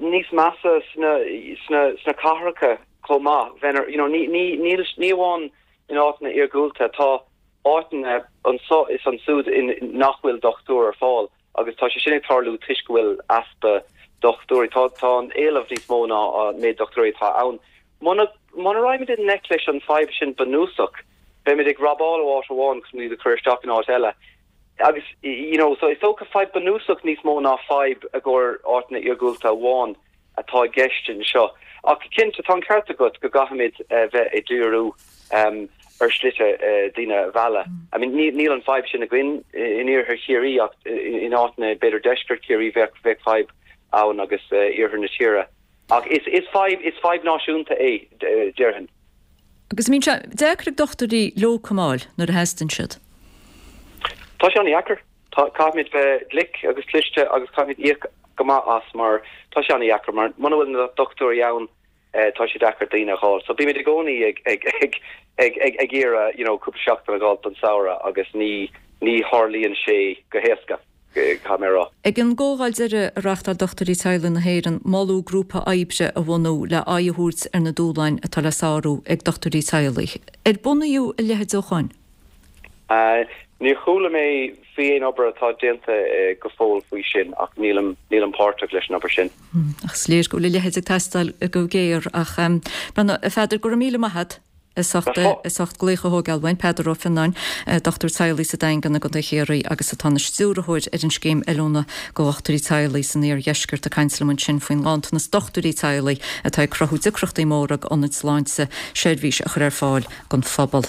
níos measa sna, sna, sna cathracha chomh maith. Bheinn ar, you know, ní, ní, níl, ní amháin in áiteanna iargúlta, tá áiteanna anso is ansúd in, nach bhfuil dochtúir ar fáil agus tá sé sin ag tarlú toisc go bhfuil easpa dochtúirí. Tá, tá an éileamh níos mó ná an méid dochtúirí atá ann. Muna, muna raghaimid i ngleic leis an fadhb sin bunúsach, beimid ag robáil ó áit amháin chun iad a chur isteach in áit eile. Agus, you know, so is dócha fadhb bunúsach níos mó ná fadhb i gcomhair áiteanna iargúlta amháin atá i gceist anseo. Ach cinnte, tá an ceart agat go gcaithfimid bheith ag díriú ar shlite daoine a mhealladh. I mean, níl an fadhb sin againn in iarthar Chiarraí ach in áiteanna, b'fhéidir deisceart Chiarraí, bheadh bheadh fadhb ann agus iarthar na tíre. Ach is is fadhb is fadhb náisiúnta é, déarfainn. Agus an mbíonn sé deacair ag dochtúirí lócamáil nuair a theastaíonn siad? Tá sé an-dheacair. Tá, caithfimid bheith glic agus cliste agus caithfimid íoc go maith as mar tá sé an-dheacair mar muna bhfuil na dochtúirí ann tá sé deacair daoine a dh'fháil. So bímid i gcónaí ag ag ag ag ag ag iarraidh you know cúpla seachtain a dh'fháilt don samhradh agus ní ní tharlaíonn sé go héasca. caithfidh mé a rá. Ag an gcomhdháil deiridh a reáchtáil Dochtúirí Teaghlaigh na hÉireann, moladh grúpa oibre a bhunú le aghaidh a thabhairt ar na dúshláin atá le sárú ag dochtúirí teaghlaigh. Ar bunaíodh a leithéid ó shoin? Níor chuala mé faoi aon obair atá déanta go fóill faoi sin ach nílim nílim páirteach leis an obair sin. Ach is léir go bhfuil a leithéid ag teastáil go géar. Ach, a Pheadair, go raibh míle maith agat. As ucht as ucht glaoch a thógáil uainn, Peadar Ó Fionnáin, dochtúir teaghlaigh sa Daingean i gContae Chiarraí agus atá ina stiúrthóir ar an scéim oiliúna do dhochtúirí teaghlaigh san iardheisceart ag caint liom ansin faoin nganntanas dochtúirí teaghlaigh atá ag cruthú deacrachtaí móra d'ionaid sláinte seirbhís a chur ar fáil don phobal.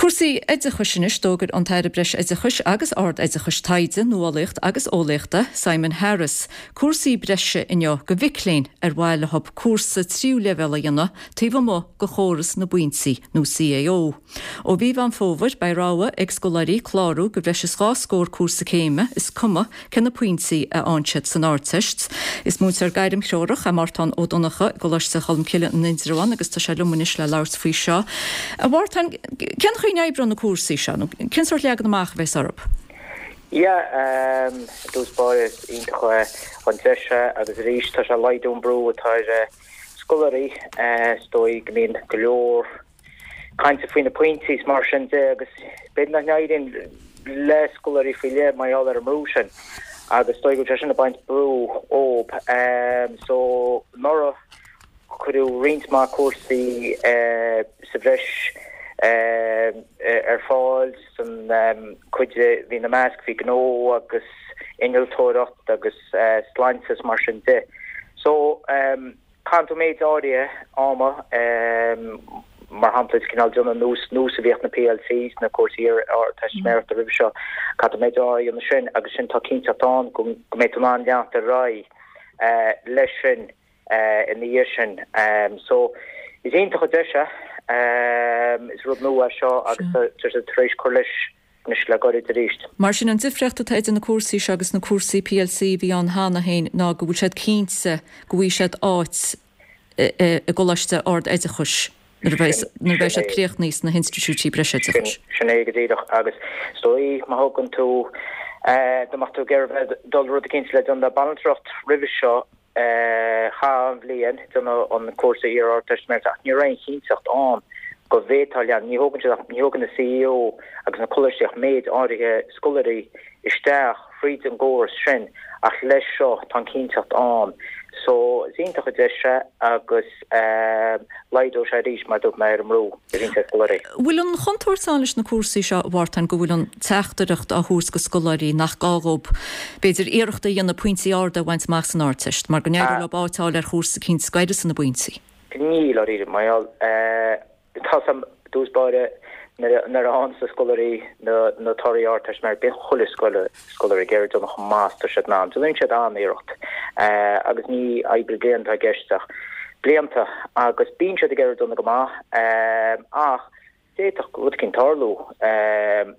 Cúrsaí oideachais anois, D'fhógair an tAire Breis-Oideachais agus Ard-Oideachais Taighde, Nuálaíocht agus Eolaíochta, Simon Harris, cúrsaí breise inniu do mhic léinn ar mhaith leo cúrsa tríú leibhéal a dhéanamh taobh amuigh de chóras na bpointí, nó CAO. Ó mhí Mheán Fómhair, beidh rogha ag scoláirí clárú do bhreis is 2 scór cúrsa céime, is cuma cé na pointí a fhaigheann siad san Ardteist. Is múinteoir gairmthreorach é Mártán Ó Donnchadha i gColáiste Cholmcille in Indreabhán agus tá sé liom anois le labhairt faoi seo. A Mhártáin, cén chaoi a n-oibreoidh na cúrsaí seo, nó cén sórt leagan amach a bheas orthu? Yeah, i dtús báire is iontach an deis é agus arís tá sé ag laghdú an brú atá ar scoláirí, is dóigh go mbíonn go leor cainte faoi na pointí is mar sin de agus b'fhéidir nach n-éiríonn le scoláirí faoi leith mar gheall ar an mbrú sin agus is dóigh go bhfuil sé sin ag baint brú ób. So anuraidh cuireadh roinnt mhaith cúrsaí sa bhreis ar fáil san cuid a bhí ina measc bhí gnó agus innealtóireacht agus sláinte is mar sin de. So, caitheann tú méid áirithe ama, mar shampla, is cineál déanamh nós, nós a bhíodh na PLCs, na cúrsaí Ardteistiméireachta roimhe seo, caithfidh tú méid áirithe a dhéanamh sin agus sin tá cinnteacht ann go mbeidh tú in ann leanacht ar aghaidh leis sin ina dhiaidh sin. So. Is iontach an deis é. Is rud nua é seo agus tá siad tar éis cur leis anois le gairid arís. Mar sin, an difríocht atá idir na cúrsaí seo agus na cúrsaí plc a bhí ann cheana féin ná go bhfuil siad cinnte go bhfaighidh siad áit i gcoláiste ard-oideachais nuair a bheidh nuair a bheidh siad críochnaithe sna hinstitiúidí breisoideachais. Sin é go díreach agus is dóigh má thugann tú dá mbeadh tú ag iarraidh bheith dul rud eicínt le déanamh le banaltracht roimhe seo Chaithfeá an bhliain déanamh an cúrsa iar-Ardteistiméireachta ach ní raibh aon chinnteacht ann go bhféadfá leanúint. Ní thógann siad ach, ní thógann na CAO agus na coláistí ach méid áirithe scoláirí isteach fríd an gcóras sin ach leis seo tá an chinnteacht ann. So is iontach an deis é agus laghdóidh sé arís mar a dúirt mé ar an mbrú a bhíonns ar scoláirí. Bhfuil an chontúirt ann leis na cúrsaí seo, a Mhártain, go bhfuil an teachtaireacht á thabhairt go scoláirí nach gá dhóibh, b'fhéidir, iarracht a dhéanamh pointí arda a bhaint amach san Ardteist, mar go n-éireoidh leo áit a fháil ar chúrsa eicínt a uireanns na bpointí? Níl, dáiríre, mar gheall, tá 's a'm, i dtús báire, nuair a fhaigheann na scoláirí na torthaí Ardteistiméireachta, bíonn chuile scoláire ag iarraidh déanamh chomh maith is atá siad in ann. Déanann siad an-iarracht agus ní oibre bliain atá i gceist ach blianta agus bíonn siad ag iarraidh déanamh go maith ach d'fhéadfadh rud eicínt tarlú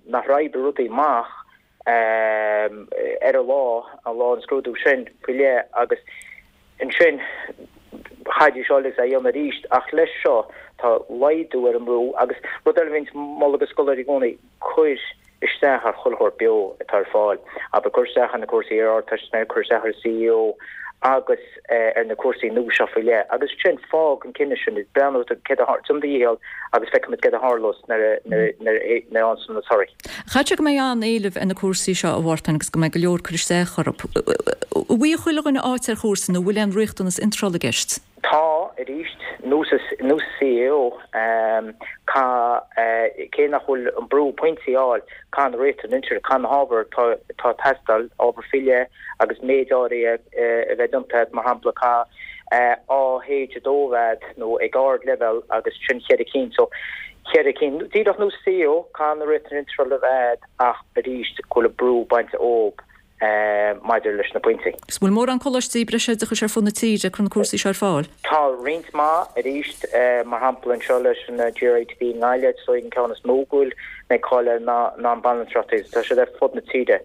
nach raibh rudaí amach ar an lá, an lá an scrúdú sin faoi leith agus ansin chaithfidís dul agus é a dhéanamh arís ach leis seo tá laghdú ar an mbrú agus rud eile a bhíonns ag moladh do scoláirí i gcónaí, cuir isteach ar chuile shórt beo atá ar fáil, abair cuir isteach ar na cúrsaí iar-Ardteistiméireachta, cuir isteach ar an CAO agus ar na cúrsaí nua seo faoi leith agus ansin fág an cinneadh sin, breathnú céard a déan do dhícheall agus feicfimid céard a tharlós nuair a fhaigheanns na torthaí. Chaithfeadh sé go mbeidh an-éileamh ar na cúrsaí seo, a Mhártain, agus go mbeidh go leor cur isteach orthu. An bhfaighidh chuile dhuine áit ar chúrsa nó an bhfuil aon riachtanas iontrála i gceist? Tá, arís, nós nós CAO, caithfidh, cé nach bhfuil an brú pointí a fháil, caithfidh na riachtanais iontrála, caithfidh na hábhair atá atá ag teastáil, ábhar faoi leith agus méid áirithe a bheith déanta agat, mar shampla, caithfidh AH2 a bheith agat nó ag ardleibhéal agus sin cheithre cinn. So, cheithre cinn. Díreach nós CAO, caithfidh na riachtanais iontrála a bheith agat ach arís go bhfuil an brú bainte dhóibh. maidir leis na pointí. Is bhfuil mórán coláistí breisoideachais ar fud na tíre ag cur na cúrsaí seo ar fáil? Tá roinnt mhaith, arís, mar shampla anseo leis an GRITB i nGaillimh, is dóigh an ceann is mó go bhfuil mé ag cáil air ná an Bhanaltracht agus tá siad ar fud na tíre.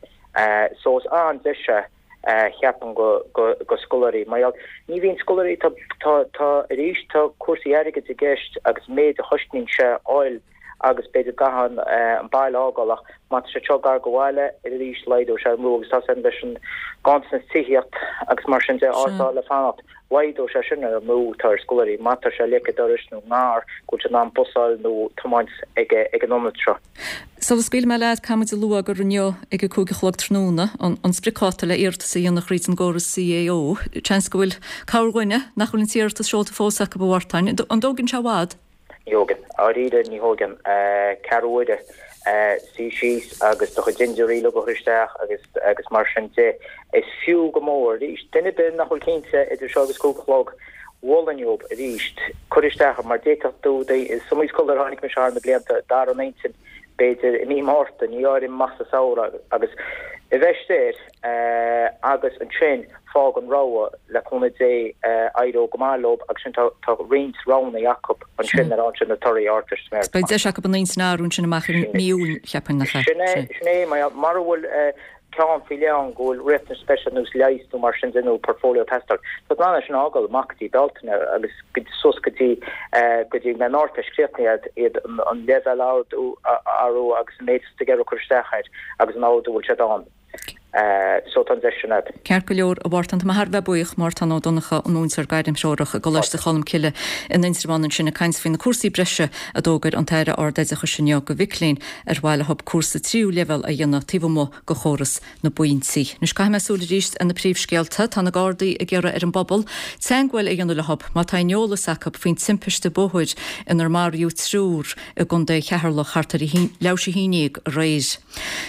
So is an-deis é cheapfainn go go scoláirí. Mar gheall, ní bhíonn scoláirí, tá tá tá arís tá cúrsaí airgid i gceist agus méid a chosnaíonn sé a fháil agus b'fhéidir go gcaithfeá an baile a fhágáil ach má tá sé seo gar go bhaile arís laghdóidh sé an brú agus tá san leis an ganntanas tithíocht agus mar sin de áit a fháil le fanacht laghdóidh sé sin ar an mbrú atá ar scoláirí má tá sé leic an dorais nó ngar go bhfuil siad in ann bus a fháil nó tiomáint ag ag an ionad seo. Sula scaoilfidh mé leat, caithfidh muid a lua gur inniu ag a 5 a chlog tráthnóna an spriocdháta le iarratas a dhéanamh thríd an gcóras CAO. Seans go bhfuil corrdhuine nach bhfuil an t-iarratas seolta fós acu a Mhártain. An dtógann sé i bhfad? Ní thógann. Dáiríre, ní thógann. Ceathrú uaire suí síos agus do chuid dintiúirí uilig a chur isteach agus agus mar sin de. Is fiú go mór. Arís, duine ar bith nach bhfuil cinnte idir seo agus 5 a chlog, mholfainn dhóibh arís cur isteach mar d'fhéadfadh tú, is iomaí scoláire a chonaic mise thar na blianta, d'athraigh a n-intinn b'fhéidir i mí Márta, ní áirím amach sa samhradh agus a bheith air agus ansin fág an rogha le cúnamh Dé éireoidh go maith leo agus sin tá roinnt roghanna acu ansin nuair a fhaigheann siad na torthaí Ardteistiméireachta. Beidh deis acu a n-intinn a athrú ansin amach i mí Iúil, cheapfainn, nach ea? Sin é, sin é, mura bhfuil ceann faoi leith ann go bhfuil riachtanais speisialta ar nós leighis nó mar sin de nó portfolio ag teastáil, tá tú in ann é sin a fhágáil amach go dtí Bealtaine agus suas go dtí go dtí go mbeidh an Ardteist críochnaithe iad an leibhéal a athrú agus an méid is tú ag iarraidh cur isteach air agus an ardú bhfuil siad ann. So tá an deis sin agat. Ceart go leor, a Mhártain, tá mé thar a bheith buíoch, Mártan Ó Donnchadha, an múinteoir gairmthreorach i gColáiste Cholmcille in Indreabhán ansin ag caint faoi na cúrsaí breise a d'fhógair an tAire Ard-Oideachais inniu do mhic léinn ar mhaith leo cúrsa tríú leibhéal a dhéanamh taobh amuigh de chóras na bpointí. Anois caithfidh mé súil arís ar na príomhscéalta. Tá na Gardaí ag iarraidh ar an bpobal teagmháil a dhéanamh leo má tá aon eolas acu faoin timpiste bóthair inar maraíodh triúr i gContae Cheatharlach thart ar leathuair théis a haon déag aréir.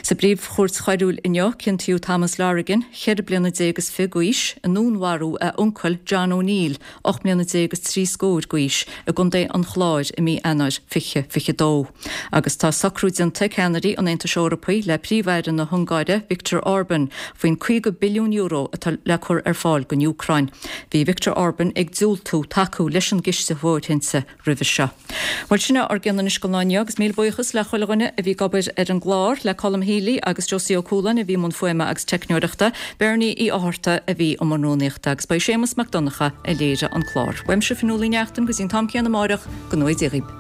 Sa bPríomh-Chúirt Choiriúil inniu, ciontaíodh. Matthew Thomas Lorigan, 14 bliana is fi d'aois, i ndúnmharú a uncail John O'Neill, 18 mbliana is 3 scór d'aois, i gContae an Chláir i mí Eanáir 2022. Agus tá socrú déanta ag ceannairí an Aontais Eorpaigh le Príomh-Aire na hUngáire, Viktor Orban, faoin €50 billiún atá le cur ar fáil don Úcráin. Bhí Viktor Orban ag diúltú tacú leis an gciste fóirithinte roimhe seo. Bhuel, sin é ár gcion anois don lá inniu agus míle buíochas le chuile dhuine a bhí ag obair ar an gclár, le Colm Healy agus Josie Ó Cualáin a bhí i mbun fuaime agus teicneoireachta, Bernie Uí Fhátharta a bhí i mbun rúnaíochta agus ba í Séamus Mac Donncha a léirigh an clár. Uaimse Fionnuala Ní Neachtain go dtí an t-am céanna amáireach, go ngnóthaí Dia dhaoib.